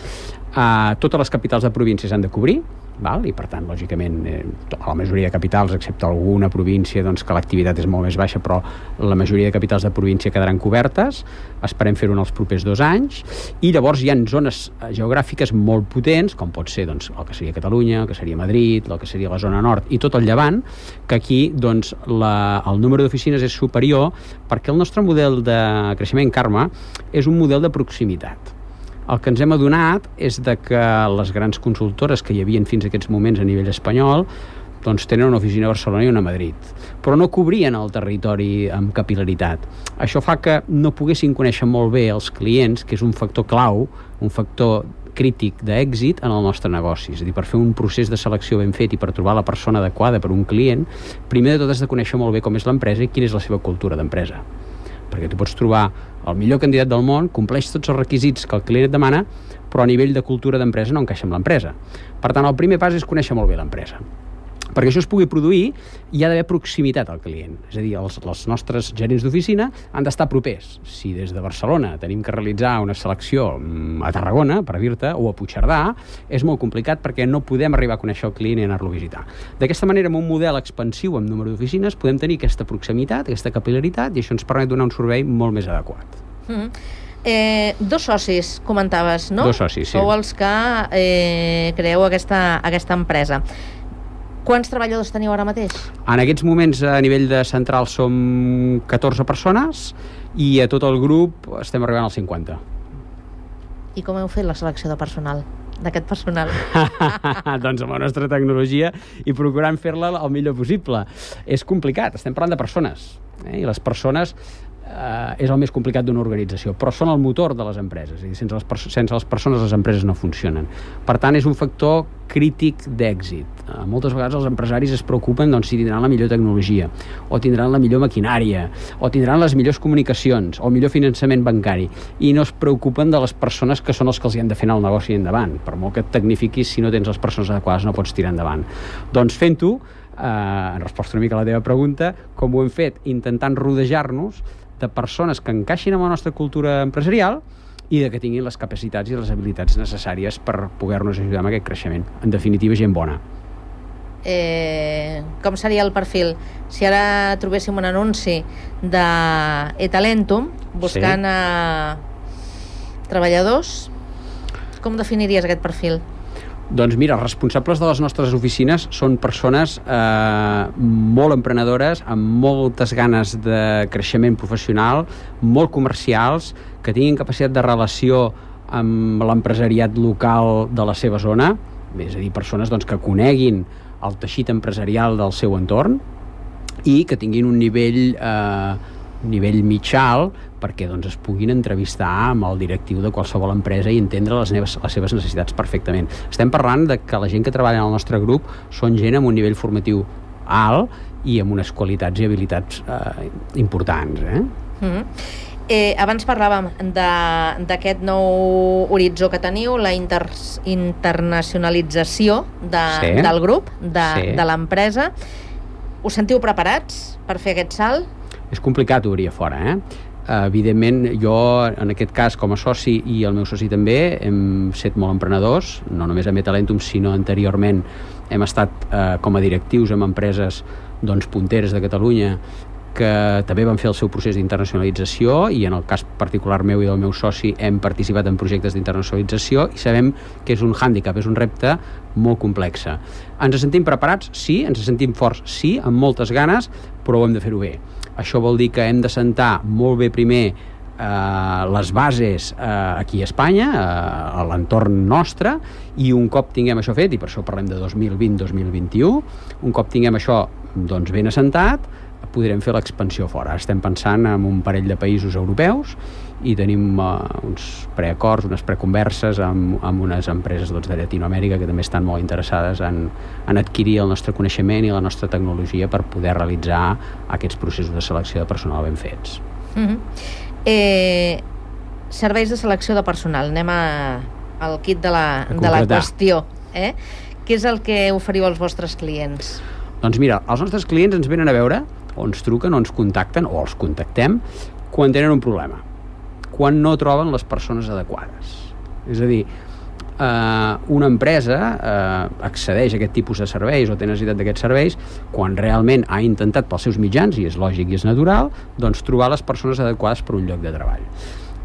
Uh, totes les capitals de províncies han de cobrir, val? I per tant, lògicament, eh, a la majoria de capitals, excepte alguna província doncs, que l'activitat és molt més baixa, però la majoria de capitals de província quedaran cobertes, esperem fer-ho en els propers dos anys, i llavors hi ha zones geogràfiques molt potents, com pot ser doncs, el que seria Catalunya, el que seria Madrid, el que seria la zona nord i tot el llevant, que aquí doncs, la, el número d'oficines és superior perquè el nostre model de creixement, Carme, és un model de proximitat. El que ens hem adonat és de que les grans consultores que hi havia fins a aquests moments a nivell espanyol doncs tenen una oficina a Barcelona i una a Madrid, però no cobrien el territori amb capil·laritat. Això fa que no poguessin conèixer molt bé els clients, que és un factor clau, un factor crític d'èxit en el nostre negoci. És a dir, per fer un procés de selecció ben fet i per trobar la persona adequada per un client, primer de tot has de conèixer molt bé com és l'empresa i quina és la seva cultura d'empresa. Perquè tu pots trobar el millor candidat del món, compleix tots els requisits que el client et demana, però a nivell de cultura d'empresa no encaixa amb l'empresa. Per tant, el primer pas és conèixer molt bé l'empresa. Perquè això es pugui produir, hi ha d'haver proximitat al client. És a dir, els, els nostres gerents d'oficina han d'estar propers. Si des de Barcelona tenim que realitzar una selecció a Tarragona, per dir-te, o a Puigcerdà, és molt complicat perquè no podem arribar a conèixer el client i anar-lo a visitar. D'aquesta manera, amb un model expansiu amb número d'oficines, podem tenir aquesta proximitat, aquesta capil·laritat, i això ens permet donar un servei molt més adequat.
Mm. Eh, dos socis, comentaves, no?
Dos socis, sí.
Sou els que eh, creeu aquesta, aquesta empresa. Quants treballadors teniu ara mateix?
En aquests moments, a nivell de central, som catorze persones i a tot el grup estem arribant als cinquanta.
I com heu fet la selecció de personal? D'aquest personal?
Doncs amb la nostra tecnologia i procurant fer-la el millor possible. És complicat, estem parlant de persones, eh? I les persones eh, és el més complicat d'una organització, però són el motor de les empreses, i sense les, sense les persones les empreses no funcionen. Per tant, és un factor crític d'èxit. Eh, moltes vegades els empresaris es preocupen doncs, si tindran la millor tecnologia, o tindran la millor maquinària, o tindran les millors comunicacions, o el millor finançament bancari, i no es preocupen de les persones que són els que els hi han de fer anar el negoci endavant. Per molt que et tecnifiquis, si no tens les persones adequades no pots tirar endavant. Doncs fent-ho, eh, en resposta una mica a la teva pregunta, com ho hem fet? Intentant rodejar-nos de persones que encaixin amb la nostra cultura empresarial i de que tinguin les capacitats i les habilitats necessàries per poder-nos ajudar amb aquest creixement. En definitiva, gent bona.
Eh, com seria el perfil? Si ara trobéssim un anunci de eTalentum buscant sí. a treballadors, com definiries aquest perfil?
Doncs mira, els responsables de les nostres oficines són persones eh, molt emprenedores, amb moltes ganes de creixement professional, molt comercials, que tinguin capacitat de relació amb l'empresariat local de la seva zona, és a dir, persones doncs, que coneguin el teixit empresarial del seu entorn i que tinguin un nivell eh, un nivell mitjà perquè doncs, es puguin entrevistar amb el directiu de qualsevol empresa i entendre les, neves, les seves necessitats perfectament. Estem parlant de que la gent que treballa en el nostre grup són gent amb un nivell formatiu alt i amb unes qualitats i habilitats eh, importants. Eh?
Mm-hmm. Eh, abans parlàvem d'aquest nou horitzó que teniu, la inter internacionalització de, sí. del grup, de, sí. de l'empresa. Us sentiu preparats per fer aquest salt?
És complicat obrir a fora, eh? Evidentment, jo, en aquest cas, com a soci i el meu soci també, hem set molt emprenedors, no només a eTalentum, sinó anteriorment hem estat eh, com a directius en empreses doncs, punteres de Catalunya que també van fer el seu procés d'internacionalització i en el cas particular meu i del meu soci hem participat en projectes d'internacionalització i sabem que és un hàndicap, és un repte molt complex. Ens sentim preparats? Sí. Ens sentim forts? Sí, amb moltes ganes, però ho hem de fer-ho bé. Això vol dir que hem de sentar molt bé primer eh, les bases eh, aquí a Espanya, eh, a l'entorn nostre, i un cop tinguem això fet, i per això parlem de dos mil vint dos mil vint-i-u, un cop tinguem això doncs, ben assentat, podrem fer l'expansió fora. Estem pensant en un parell de països europeus i tenim uh, uns preacords, unes preconverses amb, amb unes empreses doncs, de Llatinoamèrica que també estan molt interessades en, en adquirir el nostre coneixement i la nostra tecnologia per poder realitzar aquests processos de selecció de personal ben fets.
Mm-hmm. eh, serveis de selecció de personal. Anem a, al kit de la, de la qüestió. Eh? Què és el que oferiu als vostres clients?
Doncs mira, els nostres clients ens venen a veure o ens truquen o ens contacten o els contactem quan tenen un problema, quan no troben les persones adequades. És a dir, eh, una empresa eh, accedeix a aquest tipus de serveis o té necessitat d'aquests serveis quan realment ha intentat pels seus mitjans, i és lògic i és natural, doncs trobar les persones adequades per un lloc de treball.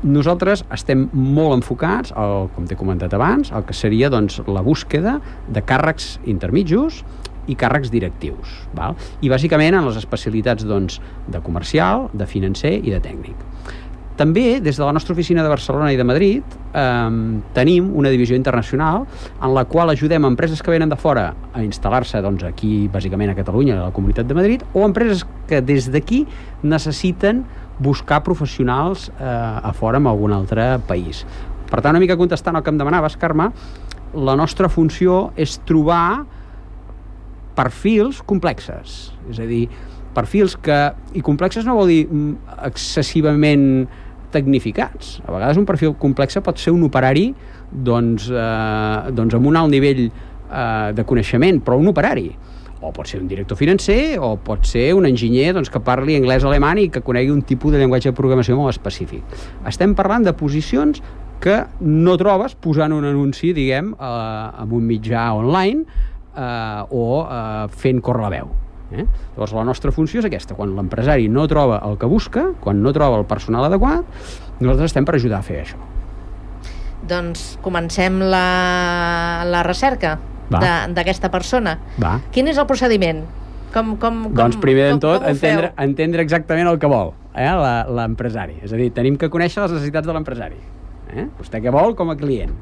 Nosaltres estem molt enfocats, el, com t'he comentat abans, el que seria doncs, la búsqueda de càrrecs intermitjos i càrrecs directius, val? I bàsicament en les especialitats doncs, de comercial, de financer i de tècnic. També, des de la nostra oficina de Barcelona i de Madrid, eh, tenim una divisió internacional en la qual ajudem empreses que venen de fora a instal·lar-se doncs, aquí, bàsicament a Catalunya, a la Comunitat de Madrid, o empreses que des d'aquí necessiten buscar professionals eh, a fora en algun altre país. Per tant, una mica contestant el que em demanaves, Carme, la nostra funció és trobar perfils complexes. És a dir, perfils que... I complexes no vol dir excessivament tecnificats. A vegades un perfil complex pot ser un operari doncs, eh, doncs amb un alt nivell eh, de coneixement, però un operari. O pot ser un director financer, o pot ser un enginyer doncs, que parli anglès o alemany i que conegui un tipus de llenguatge de programació molt específic. Estem parlant de posicions que no trobes posant un anunci, diguem, eh, en un mitjà online eh, o eh, fent córrer la veu. Eh? Llavors la nostra funció és aquesta: quan l'empresari no troba el que busca, quan no troba el personal adequat, nosaltres estem per ajudar a fer això.
Doncs comencem la, la recerca d'aquesta persona.
Va.
Quin és el procediment? Com, com, com,
doncs primer de tot
com
entendre, entendre exactament el que vol eh, l'empresari. És a dir, tenim que conèixer les necessitats de l'empresari. Eh? Vostè què vol com a client?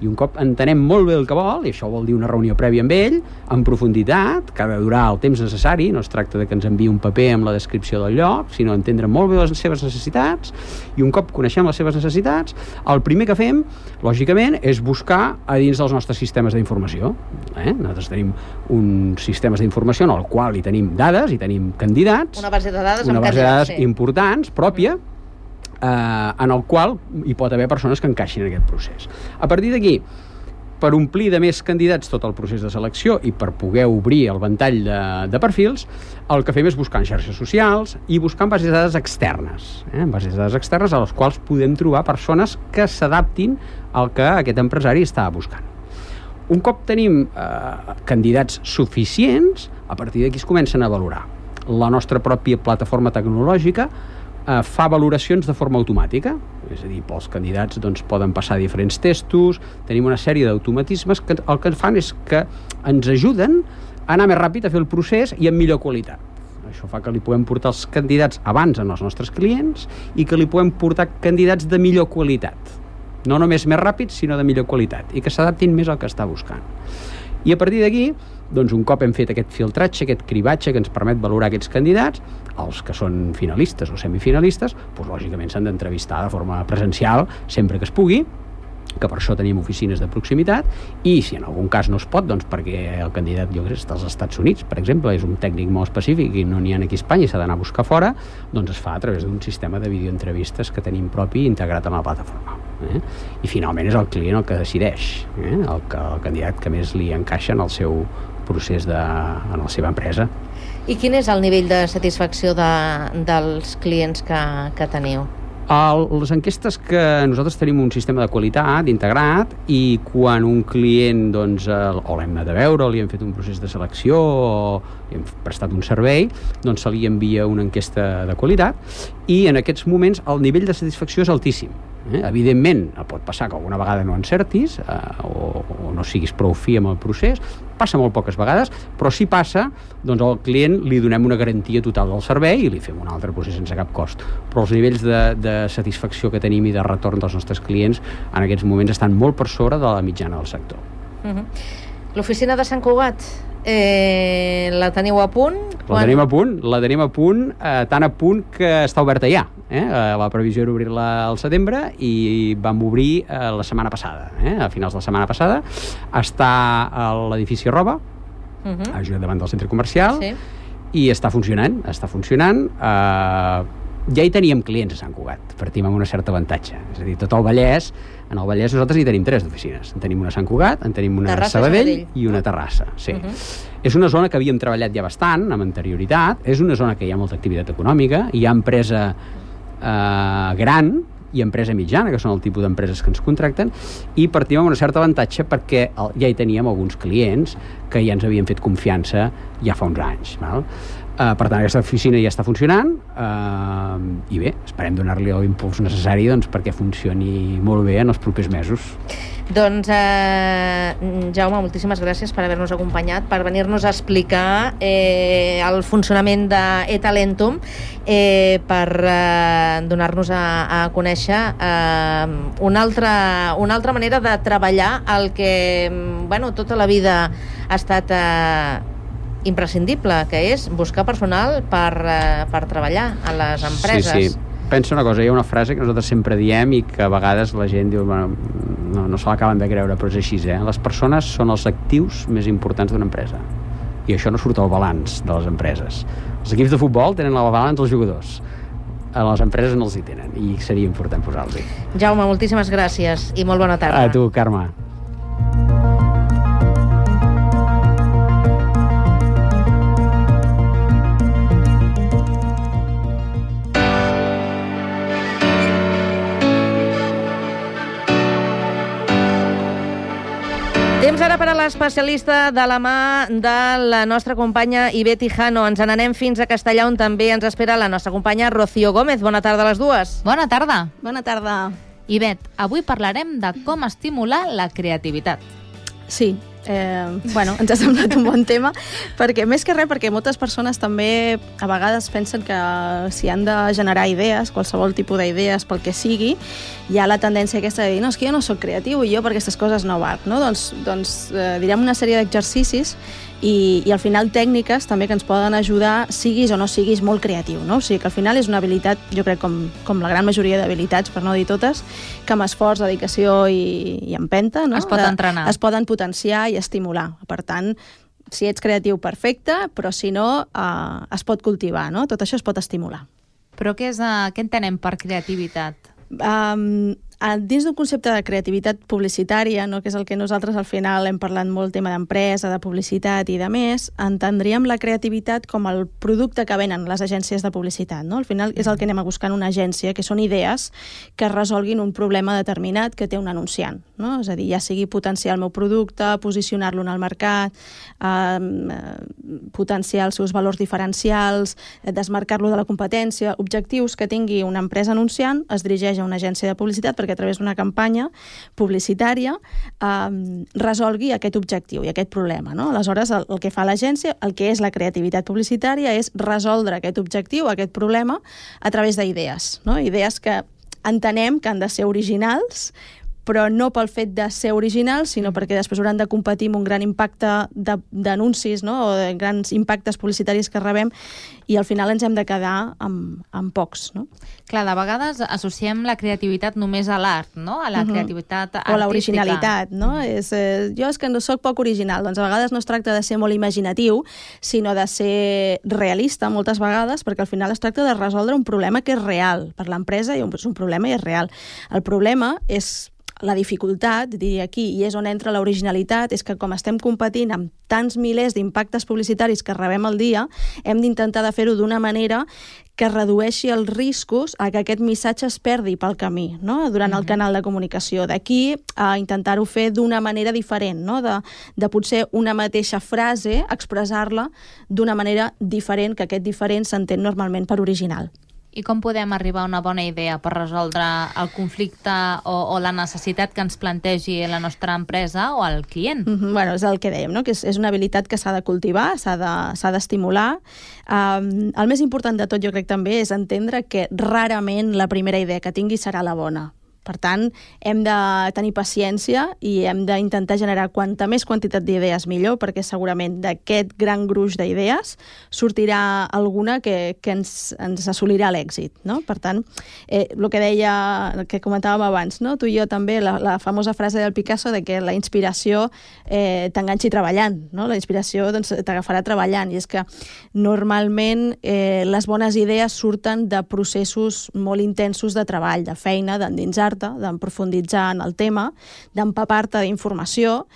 I un cop entenem molt bé el que vol, i això vol dir una reunió prèvia amb ell, en profunditat, que ha de durar el temps necessari, no es tracta de que ens enviï un paper amb la descripció del lloc, sinó entendre molt bé les seves necessitats, i un cop coneixem les seves necessitats, el primer que fem, lògicament, és buscar a dins dels nostres sistemes d'informació. Eh? Nosaltres tenim uns sistemes d'informació en el qual hi tenim dades, hi tenim candidats,
una base de dades,
una
amb
base de dades
sí.
importants, pròpia, mm. Eh, en el qual hi pot haver persones que encaixin en aquest procés. A partir d'aquí, per omplir de més candidats tot el procés de selecció i per poder obrir el ventall de, de perfils, el que fem és buscar en xarxes socials i buscar en bases de dades externes, eh? en bases de dades externes a les quals podem trobar persones que s'adaptin al que aquest empresari està buscant. Un cop tenim eh, candidats suficients, a partir d'aquí es comencen a valorar. La nostra pròpia plataforma tecnològica Eh, fa valoracions de forma automàtica, és a dir, els candidats doncs, poden passar diferents testos, tenim una sèrie d'automatismes que el que fan és que ens ajuden a anar més ràpid a fer el procés i amb millor qualitat. Això fa que li puguem portar els candidats abans als nostres clients i que li puguem portar candidats de millor qualitat. No només més ràpids, sinó de millor qualitat, i que s'adaptin més al que està buscant. I a partir d'aquí, doncs un cop hem fet aquest filtratge, aquest cribatge que ens permet valorar aquests candidats, els que són finalistes o semifinalistes, doncs lògicament s'han d'entrevistar de forma presencial sempre que es pugui, que per això tenim oficines de proximitat, i si en algun cas no es pot, doncs perquè el candidat, jo crec, està als Estats Units, per exemple, és un tècnic molt específic i no n'hi ha aquí a Espanya i s'ha d'anar a buscar fora, doncs es fa a través d'un sistema de videoentrevistes que tenim propi integrat en la plataforma. Eh? I finalment és el client el que decideix, eh? el, que, el candidat que més li encaixa en el seu procés de, en la seva empresa.
I quin és el nivell de satisfacció de, dels clients que, que teniu?
El, les enquestes que nosaltres tenim un sistema de qualitat integrat i quan un client doncs, o l'hem anat a veure o li hem fet un procés de selecció o li hem prestat un servei, doncs se li envia una enquesta de qualitat i en aquests moments el nivell de satisfacció és altíssim. Eh? Evidentment, pot passar que alguna vegada no encertis eh, o, o no siguis prou fi amb el procés, passa molt poques vegades, però si passa, doncs al client li donem una garantia total del servei i li fem un altre procés sense cap cost. Però els nivells de, de satisfacció que tenim i de retorn dels nostres clients en aquests moments estan molt per sobre de la mitjana del sector.
Uh-huh. L'oficina de Sant Cugat, eh, la teniu a punt?
La quan... tenim a punt, la tenim a punt, eh, tan a punt que està oberta ja. Eh? La previsió era obrir-la al setembre i vam obrir eh, la setmana passada, eh? a finals de la setmana passada. Està a l'edifici Roba, uh-huh. just davant del centre comercial, sí. i està funcionant, està funcionant. Eh, ja hi teníem clients a Sant Cugat, partim amb una certa avantatge. És a dir, tot el Vallès, en el Vallès nosaltres hi tenim tres d'oficines. En tenim una a Sant Cugat, en tenim una a Sabadell i una a Terrassa. Sí. Uh-huh. És una zona que havíem treballat ja bastant, amb anterioritat, és una zona que hi ha molta activitat econòmica, hi ha empresa eh, gran, i empresa mitjana, que són el tipus d'empreses que ens contracten, i partim amb un cert avantatge perquè ja hi teníem alguns clients que ja ens havien fet confiança ja fa uns anys. Val? Uh, per tant, aquesta oficina ja està funcionant uh, i bé, esperem donar-li l'impuls necessari doncs, perquè funcioni molt bé en els propers mesos.
Doncs, eh, Jaume, moltíssimes gràcies per haver-nos acompanyat, per venir-nos a explicar eh, el funcionament d'e-Talentum, eh, per eh, donar-nos a, a conèixer eh, una, altra, una altra manera de treballar el que, bueno, tota la vida ha estat eh, imprescindible, que és buscar personal per, eh, per treballar a les empreses.
Sí, sí. Pensa una cosa, hi ha una frase que nosaltres sempre diem i que a vegades la gent diu, bueno, no, no se l'acaben de creure, però és així, eh? Les persones són els actius més importants d'una empresa. I això no surt al balanç de les empreses. Els equips de futbol tenen el balanç els jugadors. A les empreses no els hi tenen, i seria important posar-li.
Jaume, moltíssimes gràcies i molt bona tarda.
A tu, Carme.
Temps ara per a l'especialista de la mà de la nostra companya Ivet Hijano. Ens n'anem fins a Castellà, on també ens espera la nostra companya Rocío Gómez. Bona tarda a les dues.
Bona tarda.
Bona tarda.
Ivet, avui parlarem de com estimular la creativitat.
Sí, eh, bueno, ens ha semblat un bon tema, perquè més que res, perquè moltes persones també a vegades pensen que si han de generar idees, qualsevol tipus d'idees pel que sigui, hi ha la tendència aquesta de dir, no, és que jo no soc creatiu i jo per aquestes coses no valc, no? Doncs, doncs eh, direm una sèrie d'exercicis i, i al final tècniques també que ens poden ajudar, siguis o no siguis molt creatiu, no? O sigui que al final és una habilitat, jo crec com, com la gran majoria d'habilitats, per no dir totes, que amb esforç, dedicació i, i empenta, no?
Es pot entrenar.
Es poden potenciar i estimular. Per tant, si ets creatiu, perfecte, però si no, eh, es pot cultivar, no? Tot això es pot estimular.
Però què, és, uh, què entenem per creativitat?
Um, dins d'un concepte de creativitat publicitària, no, que és el que nosaltres al final hem parlat molt, tema d'empresa, de publicitat i de més, entendríem la creativitat com el producte que venen les agències de publicitat. No? Al final és el que anem a buscar en una agència, que són idees que resolguin un problema determinat que té un anunciant. No? És a dir, ja sigui potenciar el meu producte, posicionar-lo en el mercat, eh, potenciar els seus valors diferencials, desmarcar-lo de la competència, objectius que tingui una empresa anunciant, es dirigeix a una agència de publicitat perquè a través d'una campanya publicitària eh, resolgui aquest objectiu i aquest problema. No? Aleshores, el, el que fa l'agència, el que és la creativitat publicitària, és resoldre aquest objectiu, aquest problema, a través d'idees. No? Idees que entenem que han de ser originals, però no pel fet de ser originals, sinó perquè després hauran de competir amb un gran impacte d'anuncis, no? O de grans impactes publicitaris que rebem, i al final ens hem de quedar amb, amb pocs. No?
Clar, de vegades associem la creativitat només a l'art, no? A la uh-huh. creativitat artística.
O l'originalitat, no? Uh-huh. És, eh, jo és que no soc poc original. Doncs a vegades no es tracta de ser molt imaginatiu, sinó de ser realista moltes vegades, perquè al final es tracta de resoldre un problema que és real per l'empresa, i és un problema i és real. El problema és la dificultat, diria aquí, i és on entra l'originalitat, és que com estem competint amb tants milers d'impactes publicitaris que rebem al dia, hem d'intentar de fer-ho d'una manera que redueixi els riscos a que aquest missatge es perdi pel camí, no? Durant el canal de comunicació. D'aquí a intentar-ho fer d'una manera diferent, no? de, de potser una mateixa frase, expressar-la d'una manera diferent, que aquest diferent s'entén normalment per original.
I com podem arribar a una bona idea per resoldre el conflicte o, o la necessitat que ens plantegi la nostra empresa o el client?
Mm-hmm. Bueno, és el que dèiem, no? Que és, és una habilitat que s'ha de cultivar, s'ha de, s'ha d'estimular. Um, el més important de tot, jo crec també, és entendre que rarament la primera idea que tingui serà la bona. Per tant, hem de tenir paciència i hem d'intentar generar quanta més quantitat d'idees millor, perquè segurament d'aquest gran gruix d'idees sortirà alguna que, que ens, ens assolirà l'èxit. No? Per tant, eh, el que deia, el que comentàvem abans, no? Tu i jo també, la, la famosa frase del Picasso de que la inspiració eh, t'enganxi treballant. No? La inspiració doncs, t'agafarà treballant, i és que normalment eh, les bones idees surten de processos molt intensos de treball, de feina, d'endinsar, d'emprofunditzar en el tema, d'empapar-te d'informació,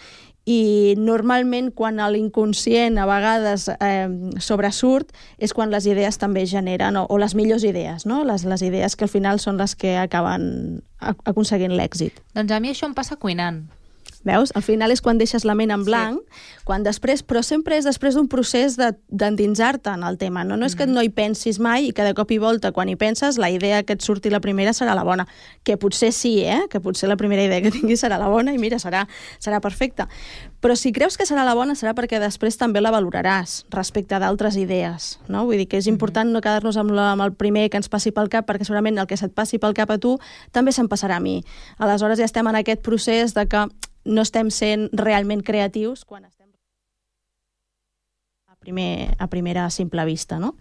i normalment quan l'inconscient a vegades eh, sobresurt és quan les idees també generen, o, o les millors idees, no? les, les idees que al final són les que acaben aconseguint l'èxit.
Doncs a mi això em passa cuinant.
Veus? Al final és quan deixes la ment en blanc, sí. quan després, però sempre és després d'un procés d'endinsar-te en el tema. No, no és que no hi pensis mai i que de cop i volta, quan hi penses, la idea que et surti la primera serà la bona. Que potser sí, eh? Que potser la primera idea que tinguis serà la bona i mira, serà, serà perfecta. Però si creus que serà la bona serà perquè després també la valoraràs respecte d'altres idees. No? Vull dir que és important no quedar-nos amb, la, amb el primer que ens passi pel cap, perquè segurament el que se't passi pel cap a tu també se'm passarà a mi. Aleshores ja estem en aquest procés de que no estem sent realment creatius quan estem a, primer, a primera simple vista, no?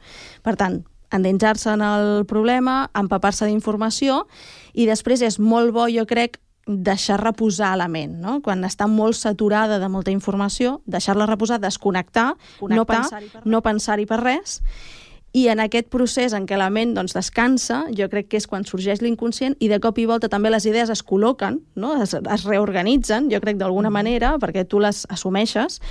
Per tant, endinsar-se en el problema, empapar-se d'informació i després és molt bo, jo crec, deixar reposar la ment, no? Quan està molt saturada de molta informació, deixar-la reposar, desconnectar, connectar, no pensar-hi per, no pensar-hi per res. I en aquest procés en què la ment doncs, descansa, jo crec que és quan sorgeix l'inconscient i de cop i volta també les idees es col·loquen, no? es, es reorganitzen, jo crec d'alguna manera, perquè tu les assumeixes,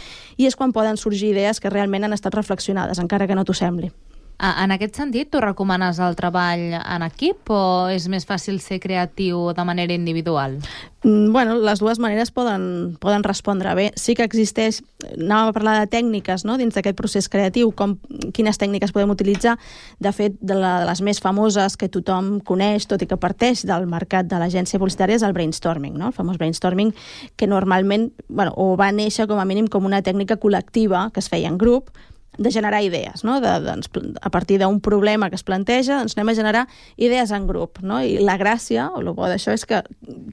i és quan poden sorgir idees que realment han estat reflexionades, encara que no t'ho sembli.
En aquest sentit, tu recomanes el treball en equip o és més fàcil ser creatiu de manera individual?
Bueno, les dues maneres poden, poden respondre bé. Sí que existeix, anàvem a parlar de tècniques, no?, dins d'aquest procés creatiu, com quines tècniques podem utilitzar. De fet, de, la, de les més famoses que tothom coneix, tot i que parteix del mercat de l'agència publicitària, és el brainstorming, no?, el famós brainstorming, que normalment, bueno, o va néixer com a mínim com una tècnica col·lectiva que es feia en grup, de generar idees, no? De, doncs, a partir d'un problema que es planteja, doncs anem a generar idees en grup, no? I la gràcia, o el bo d'això, és que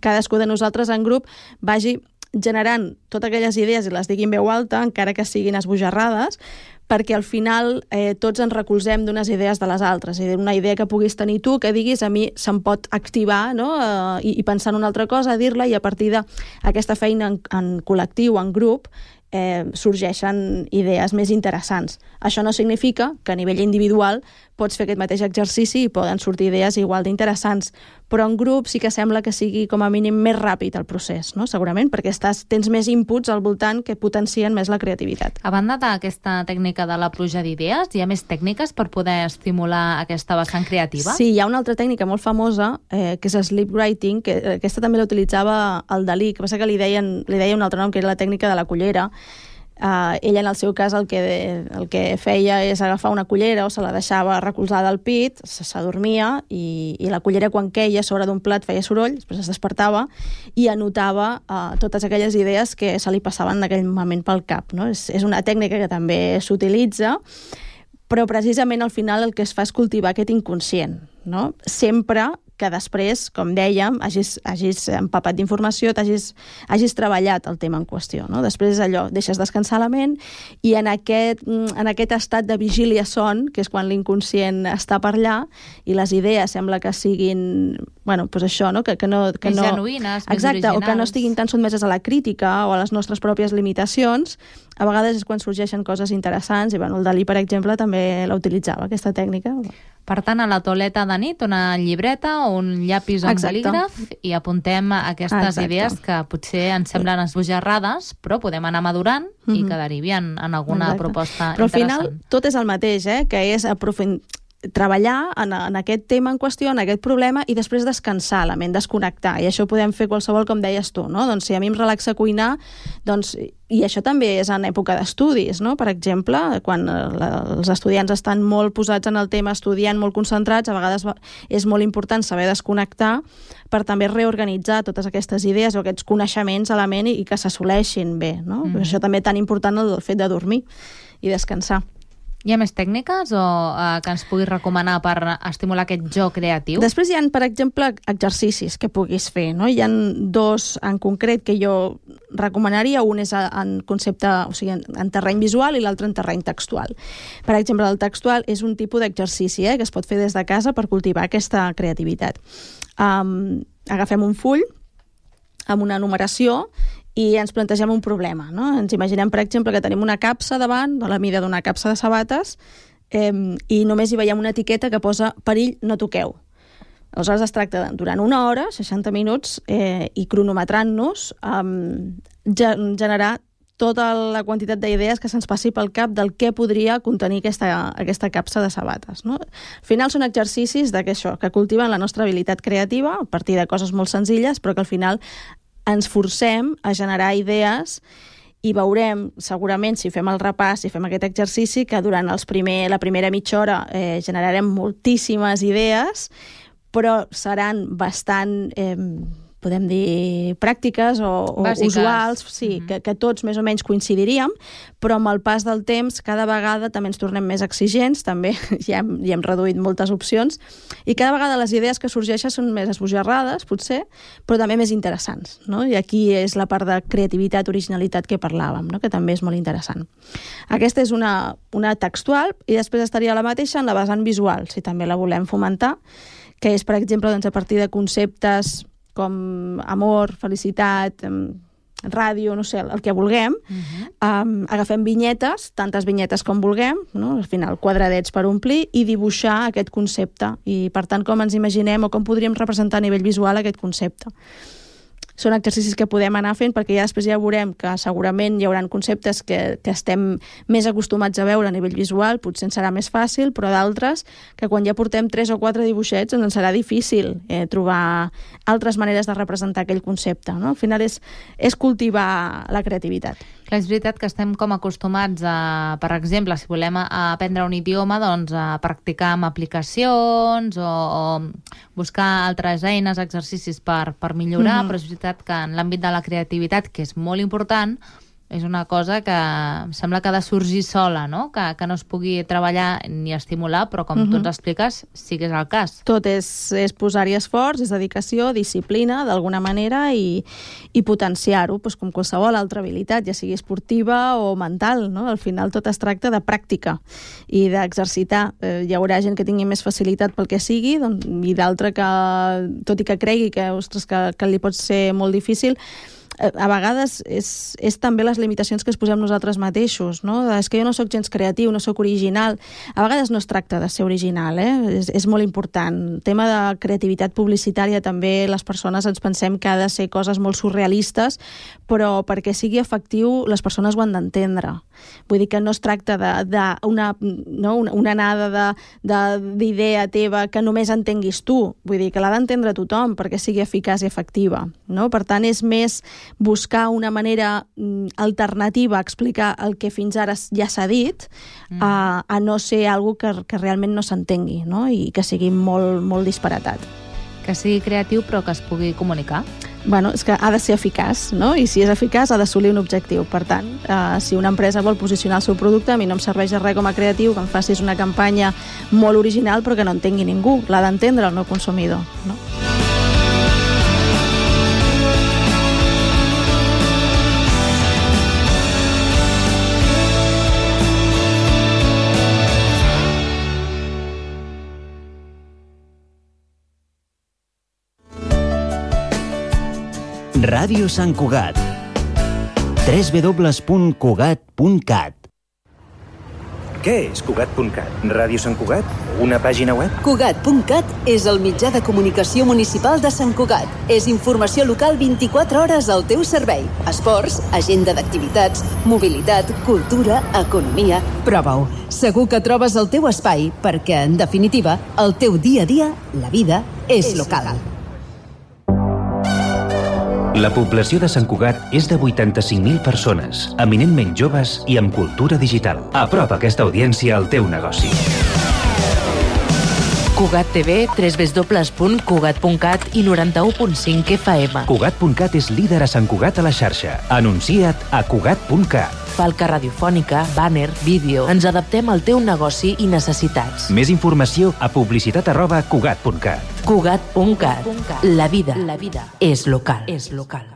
cadascú de nosaltres en grup vagi generant totes aquelles idees i les digui en veu alta, encara que siguin esbojarrades, perquè al final eh, tots ens recolzem d'unes idees de les altres, i d'una idea que puguis tenir tu, que diguis, a mi se'm pot activar, no?, eh, i, i pensar en una altra cosa, dir-la, i a partir d'aquesta feina en, en col·lectiu, en grup, Eh, sorgeixen idees més interessants. Això no significa que a nivell individual pots fer aquest mateix exercici i poden sortir idees igual d'interessants, però en grup sí que sembla que sigui com a mínim més ràpid el procés, no? Segurament, perquè estàs, tens més inputs al voltant que potencien més la creativitat.
A banda d'aquesta tècnica de la pluja d'idees, hi ha més tècniques per poder estimular aquesta vessant creativa?
Sí, hi ha una altra tècnica molt famosa, eh, que és sleep writing, que aquesta també l'utilitzava el Dalí, que passa que li deien, li deia un altre nom, que era la tècnica de la cullera. Uh, ella en el seu cas el que, el que feia és agafar una cullera o se la deixava recolzada al pit, s'adormia i, i la cullera quan queia sobre d'un plat feia soroll, després es despertava i anotava uh, totes aquelles idees que se li passaven en aquell moment pel cap, no? És, és una tècnica que també s'utilitza, però precisament al final el que es fa és cultivar aquest inconscient, no? Sempre que després, com dèiem, hagis, hagis empapat d'informació, hagis, hagis treballat el tema en qüestió, no? Després allò, deixes descansar la ment i en aquest, en aquest estat de vigília son, que és quan l'inconscient està per allà i les idees sembla que siguin, bueno, doncs això, no? Que, que no, que
més
no,
genuïnes, més
exacte,
originals.
O que no estiguin tan sotmeses a la crítica o a les nostres pròpies limitacions. A vegades és quan sorgeixen coses interessants i, bueno, el Dalí, per exemple, també la utilitzava, aquesta tècnica.
Per tant, a la tauleta de nit, una llibreta o un llapis o un
Exacte.
bolígraf i apuntem aquestes
Exacte.
idees que potser ens semblen esbojarrades, però podem anar madurant mm-hmm. i que derivien en alguna
Exacte.
proposta
Però al
interessant.
final tot és el mateix, eh? Que és aprofundir, treballar en, en aquest tema en qüestió, en aquest problema, i després descansar la ment, desconnectar. I això ho podem fer qualsevol, com deies tu, no? Doncs si a mi em relaxa cuinar, doncs, i això també és en època d'estudis, no? Per exemple, quan la, els estudiants estan molt posats en el tema, estudiant, molt concentrats, a vegades és molt important saber desconnectar per també reorganitzar totes aquestes idees o aquests coneixements a la ment i, i que s'assoleixin bé, no? Mm. Això també tan important el fet de dormir i descansar.
Hi ha més tècniques o eh, que ens puguis recomanar per estimular aquest joc creatiu?
Després hi ha, per exemple, exercicis que puguis fer, no? Hi ha dos en concret que jo recomanaria. Un és en concepte, o sigui, en, en terreny visual i l'altre en terreny textual. Per exemple, el textual és un tipus d'exercici eh, que es pot fer des de casa per cultivar aquesta creativitat. Um, agafem un full amb una numeració i ens plantegem un problema, no? Ens imaginem, per exemple, que tenim una capsa davant, de la mida d'una capsa de sabates, eh, i només hi veiem una etiqueta que posa perill, no toqueu. Aleshores es tracta de, durant una hora, seixanta minuts, eh, i cronometrant-nos, eh, generar tota la quantitat d'idees que se'ns passi pel cap del què podria contenir aquesta, aquesta capsa de sabates. No? Al final són exercicis de que això, que cultiven la nostra habilitat creativa a partir de coses molt senzilles, però que al final ens forcem a generar idees i veurem, segurament, si fem el repàs, si fem aquest exercici, que durant els primer, la primera mitja hora eh, generarem moltíssimes idees, però seran bastant... Eh, podem dir, pràctiques o, o usuals, sí, uh-huh. que, que tots més o menys coincidiríem, però amb el pas del temps cada vegada també ens tornem més exigents, també ja hem, ja hem reduït moltes opcions, i cada vegada les idees que sorgeixen són més esbojarrades, potser, però també més interessants. No? I aquí és la part de creativitat, originalitat que parlàvem, no? que també és molt interessant. Aquesta és una, una textual, i després estaria la mateixa en la vessant visual, si també la volem fomentar, que és, per exemple, doncs, a partir de conceptes com amor, felicitat, ràdio, no sé, el que vulguem, uh-huh. um, agafem vinyetes, tantes vinyetes com vulguem, no? Al final quadradets per omplir, i dibuixar aquest concepte, i per tant com ens imaginem o com podríem representar a nivell visual aquest concepte. Són exercicis que podem anar fent perquè ja després ja veurem que segurament hi haurà conceptes que, que estem més acostumats a veure a nivell visual, potser ens serà més fàcil, però d'altres que quan ja portem tres o quatre dibuixets ens serà difícil eh, trobar altres maneres de representar aquell concepte. No? Al final és, és cultivar la creativitat.
Clar, és veritat que estem com acostumats a, per exemple, si volem aprendre un idioma, doncs a practicar amb aplicacions o, o buscar altres eines, exercicis per, per millorar, mm-hmm. però és veritat que en l'àmbit de la creativitat, que és molt important, és una cosa que sembla que ha de sorgir sola, no? Que, que no es pugui treballar ni estimular, però com mm-hmm. tu ens expliques, sí que és el cas.
Tot és, és posar-hi esforç, és dedicació, disciplina, d'alguna manera, i, i potenciar-ho, doncs, com qualsevol altra habilitat, ja sigui esportiva o mental, no? Al final tot es tracta de pràctica i d'exercitar. Eh, hi haurà gent que tingui més facilitat pel que sigui, doncs, i d'altra que, tot i que cregui que, ostres, que, que li pot ser molt difícil, a vegades és, és també les limitacions que es posem nosaltres mateixos, no? És que jo no sóc gens creatiu, no sóc original. A vegades no es tracta de ser original, eh? És, és molt important. El tema de creativitat publicitària també les persones ens pensem que ha de ser coses molt surrealistes, però perquè sigui efectiu les persones ho han d'entendre. Vull dir que no es tracta d'una no? una, una anada d'idea teva que només entenguis tu. Vull dir que l'ha d'entendre tothom perquè sigui eficaç i efectiva. No? Per tant, és més buscar una manera mm, alternativa a explicar el que fins ara ja s'ha dit, mm. a, a no ser algo que, que realment no s'entengui, no? I que sigui molt, molt disparatat.
Que sigui creatiu però que es pugui comunicar.
Bueno, és que ha de ser eficaç, no? I si és eficaç ha d'assolir un objectiu. Per tant, eh, si una empresa vol posicionar el seu producte, a mi no em serveix de res com a creatiu que em facis una campanya molt original però que no entengui ningú. L'ha d'entendre el meu consumidor, no?
Ràdio Sant Cugat. w w w punt cugat punt cat.
Què és Cugat punt cat? Ràdio Sant Cugat? Una pàgina web?
Cugat punt cat és el mitjà de comunicació municipal de Sant Cugat. És informació local vint-i-quatre hores al teu servei. Esports, agenda d'activitats, mobilitat, cultura, economia... Prova-ho. Segur que trobes el teu espai perquè, en definitiva, el teu dia a dia, la vida, és local.
La població de Sant Cugat és de vuitanta-cinc mil persones, eminentment joves i amb cultura digital. Apropa aquesta audiència al teu negoci.
Cugat T V, w w w punt cugat punt cat i noranta-u punt cinc F M.
Cugat punt cat és líder a Sant Cugat a la xarxa. Anuncia't a Cugat punt cat.
Falca radiofònica, bàner, vídeo... Ens adaptem al teu negoci i necessitats.
Més informació a publicitat arroba cugat punt cat.
Cugat punt cat. La vida, la vida és local. És local.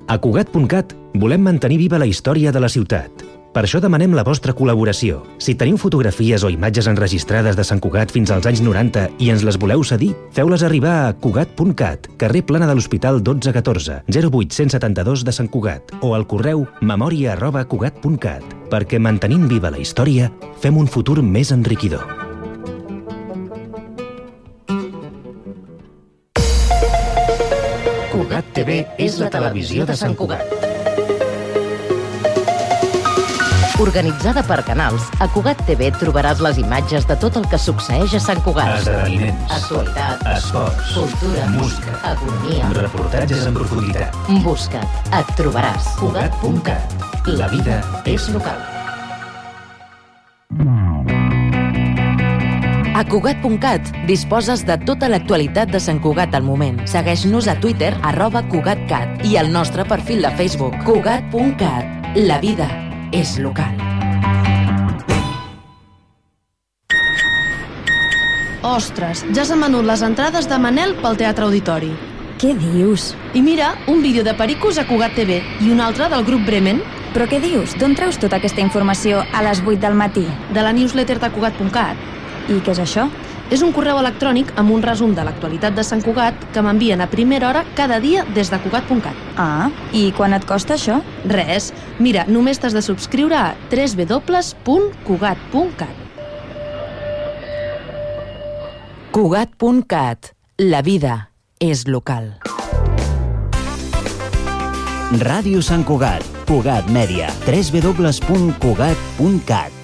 A Cugat punt cat volem mantenir viva la història de la ciutat. Per això demanem la vostra col·laboració. Si teniu fotografies o imatges enregistrades de Sant Cugat fins als anys noranta i ens les voleu cedir, feu-les arribar a Cugat punt cat, carrer Plana de l'Hospital dotze catorze, zero vuit cent setanta-dos de Sant Cugat, o al correu memòria arroba cugat punt cat, perquè mantenint viva la història, fem un futur més enriquidor. Cugat T V és la televisió de Sant Cugat.
Organitzada per canals, a Cugat T V trobaràs les imatges de tot el que succeeix a Sant Cugat.
Esdeveniments.
Actualitat.
Esports.
Cultura.
Música.
Economia.
Reportatges en profunditat.
Busca't. Et trobaràs.
Cugat punt cat. La vida és local.
A Cugat punt cat disposes de tota l'actualitat de Sant Cugat al moment. Segueix-nos a Twitter, arroba CugatCat, i al nostre perfil de Facebook, Cugat punt cat. La vida és local.
Ostres, ja s'han venut les entrades de Manel pel Teatre Auditori.
Què dius?
I mira, un vídeo de Pericos a Cugat T V i un altre del grup Bremen.
Però què dius? D'on treus tota aquesta informació a les vuit del matí?
De la newsletter de Cugat punt cat.
I què és això?
És un correu electrònic amb un resum de l'actualitat de Sant Cugat que m'envien a primera hora cada dia des de Cugat punt cat.
Ah, i quan et costa això?
Res. Mira, només t'has de subscriure a w w w punt cugat punt cat.
Cugat punt cat. La vida és local.
Ràdio Sant Cugat, Cugat Mèdia, w w w punt cugat punt cat.